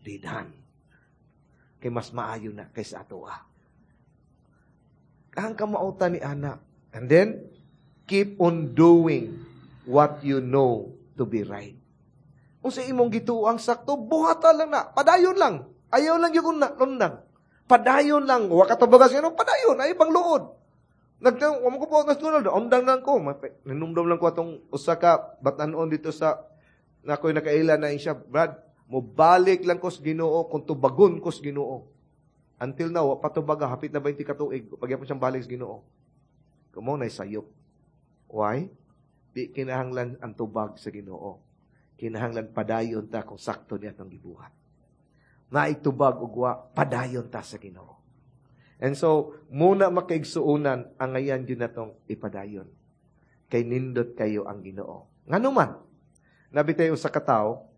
be done. Kay mas maayo na kaysa ato ah. Ang kamautan ni ana. And then, keep on doing what you know to be right. Kung sa imong gituo ang sakto, buhata lang na. Padayon lang. Ayaw lang yung undang. Padayon lang. Wa ka tubagas ano, padayon. Ay pang luod. Nagtang, wa mo ko po nas undang lang ko. Nanumdum lang ko atong usa ka batanon dito sa na ako'y nakaila na siya, Brad, mo balik lang ko sa Ginoo kung tubagon ko sa Ginoo. Until now, wa pa tubaga, hapit na twenty ka tuig, pagyapon siyang balik sa Ginoo. Kumo na sayop. Why? Di kinahanglan ang tubag sa Ginoo. Kinahanglan padayon ta kung sakto niya atong gibuhat. Naitubag ug wa, padayon ta sa Ginoo. And so, muna makaigsuonan ang ngayan gyud natong ipadayon. Kay nindot kayo ang Ginoo. Ngano man, nabitay usa ka tawo,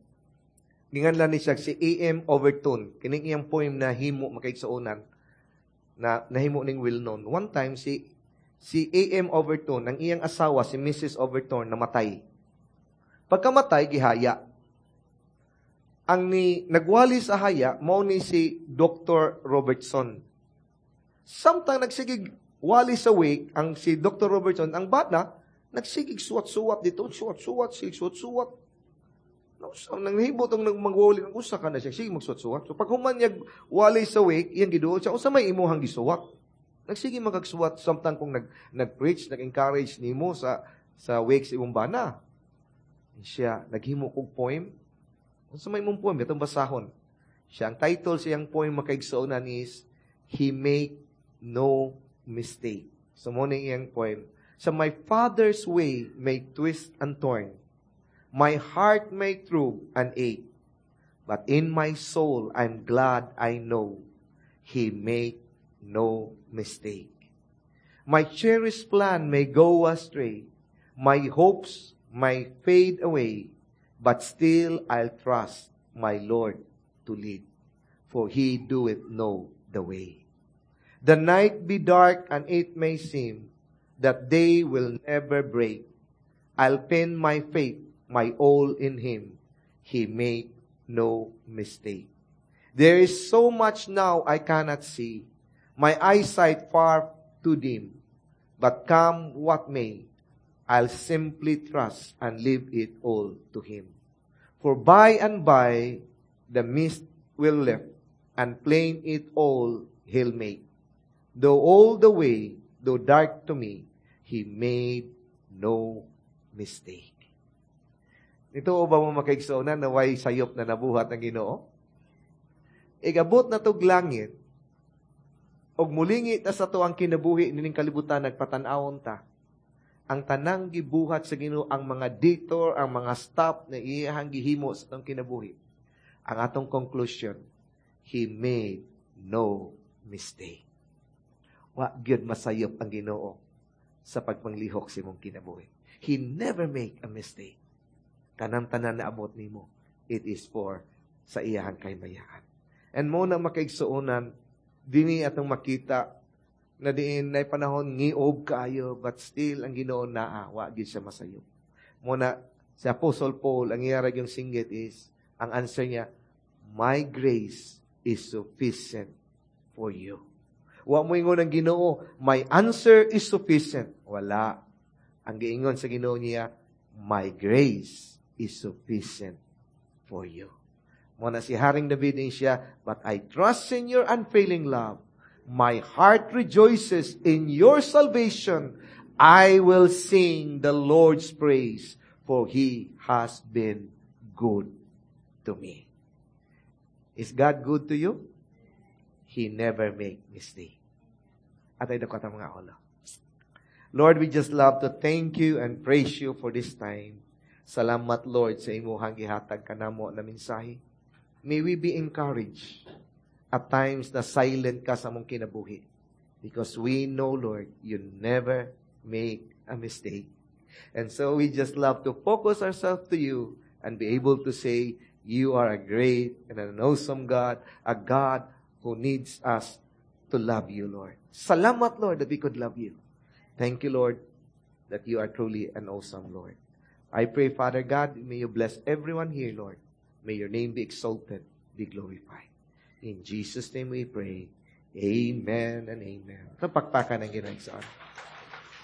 ginganlan ni siya si A M. Overton. Kining iyang poem na himo makaigsuonan na nahimo ning well known. One time si si A M. Overton, ang iyang asawa si Missus Overton namatay. Pagkamatay gihaya. Ang ni nagwali sa haya mao ni si Doctor Robertson. Samtang nagsigig wali sa wake ang si Doctor Robertson, ang bata nagsigig suwat-suwat dito, suwat-suwat, sige suwat-suwat. So, nang nahibot ang magwali, ang usa ka na siya, sige magsuwat-suwat. So, pag human niya wali sa wake, iyang giduol siya, unsa may imuhang gisuwat? Nagsige magagsuwat samtang kung nag, nag-preach, nag-encourage nimo sa sa wake sa imong bana. Siya, naghimo kog poem. Unsa may imong poem? Itong basahon. Siya, ang title sa iyang poem makaigsuonan is, "He Make No Mistake." So, mo na iyang poem. So, "My Father's way may twist and turn. My heart may throb and ache. But in my soul, I'm glad I know He make no mistake. My cherished plan may go astray. My hopes may fade away. But still I'll trust my Lord to lead. For He doeth know the way. The night be dark and it may seem that day will never break. I'll pin my faith, my all in Him. He make no mistake. There is so much now I cannot see. My eyesight far too dim. But come what may, I'll simply trust and leave it all to Him. For by and by, the mist will lift, and plain it all He'll make. Though all the way, though dark to me, He made no mistake." Nituo ba mo makaigsuonan na way sayop na nabuhat ng Ginoo? Igabot na tog langit, og mulingi ta sa ang kinabuhi nining kalibutan nagpatan-awon ta. Ang tanang gibuhat sa Ginoo, ang mga detour, ang mga stop na iyahang gihimo sa atong kinabuhi. Ang atong conclusion, He made no mistake. Wa gyud masayop ang Ginoo sa pagpanglihok sa imong kinabuhi. He never make a mistake. Kanang tanan na abot nimo, it is for sa iyahang kahimayaan. And mo na makaigsuonan, dini atong makita na diin na panahon ngiob kaayo, but still ang Ginoo naa, wa gyud siya masayop. Mo na si Apostle Paul, ang iya yung singgit is, ang answer niya, "My grace is sufficient for you." Wa mo ingon ang Ginoo, "My answer is sufficient." Wala. Ang giingon sa Ginoo niya, "My grace is sufficient for you." Mao na si Haring David din siya, but I trust in your unfailing love. My heart rejoices in your salvation. I will sing the Lord's praise, for He has been good to me. Is God good to you? He never make mistake. Atay dako atong mga ulo. Lord, we just love to thank you and praise you for this time. Salamat, Lord, sa imuhang gihatag kanamo na mensahe. May we be encouraged at times na silent ka sa among kinabuhi. Because we know, Lord, you never make a mistake. And so we just love to focus ourselves to you and be able to say, you are a great and an awesome God, a God who needs us to love you, Lord. Salamat, Lord, that we could love you. Thank you, Lord, that you are truly an awesome Lord. I pray, Father God, may you bless everyone here, Lord. May your name be exalted, be glorified. In Jesus' name we pray. Amen and amen. Ito pakpakan ang Ginoo.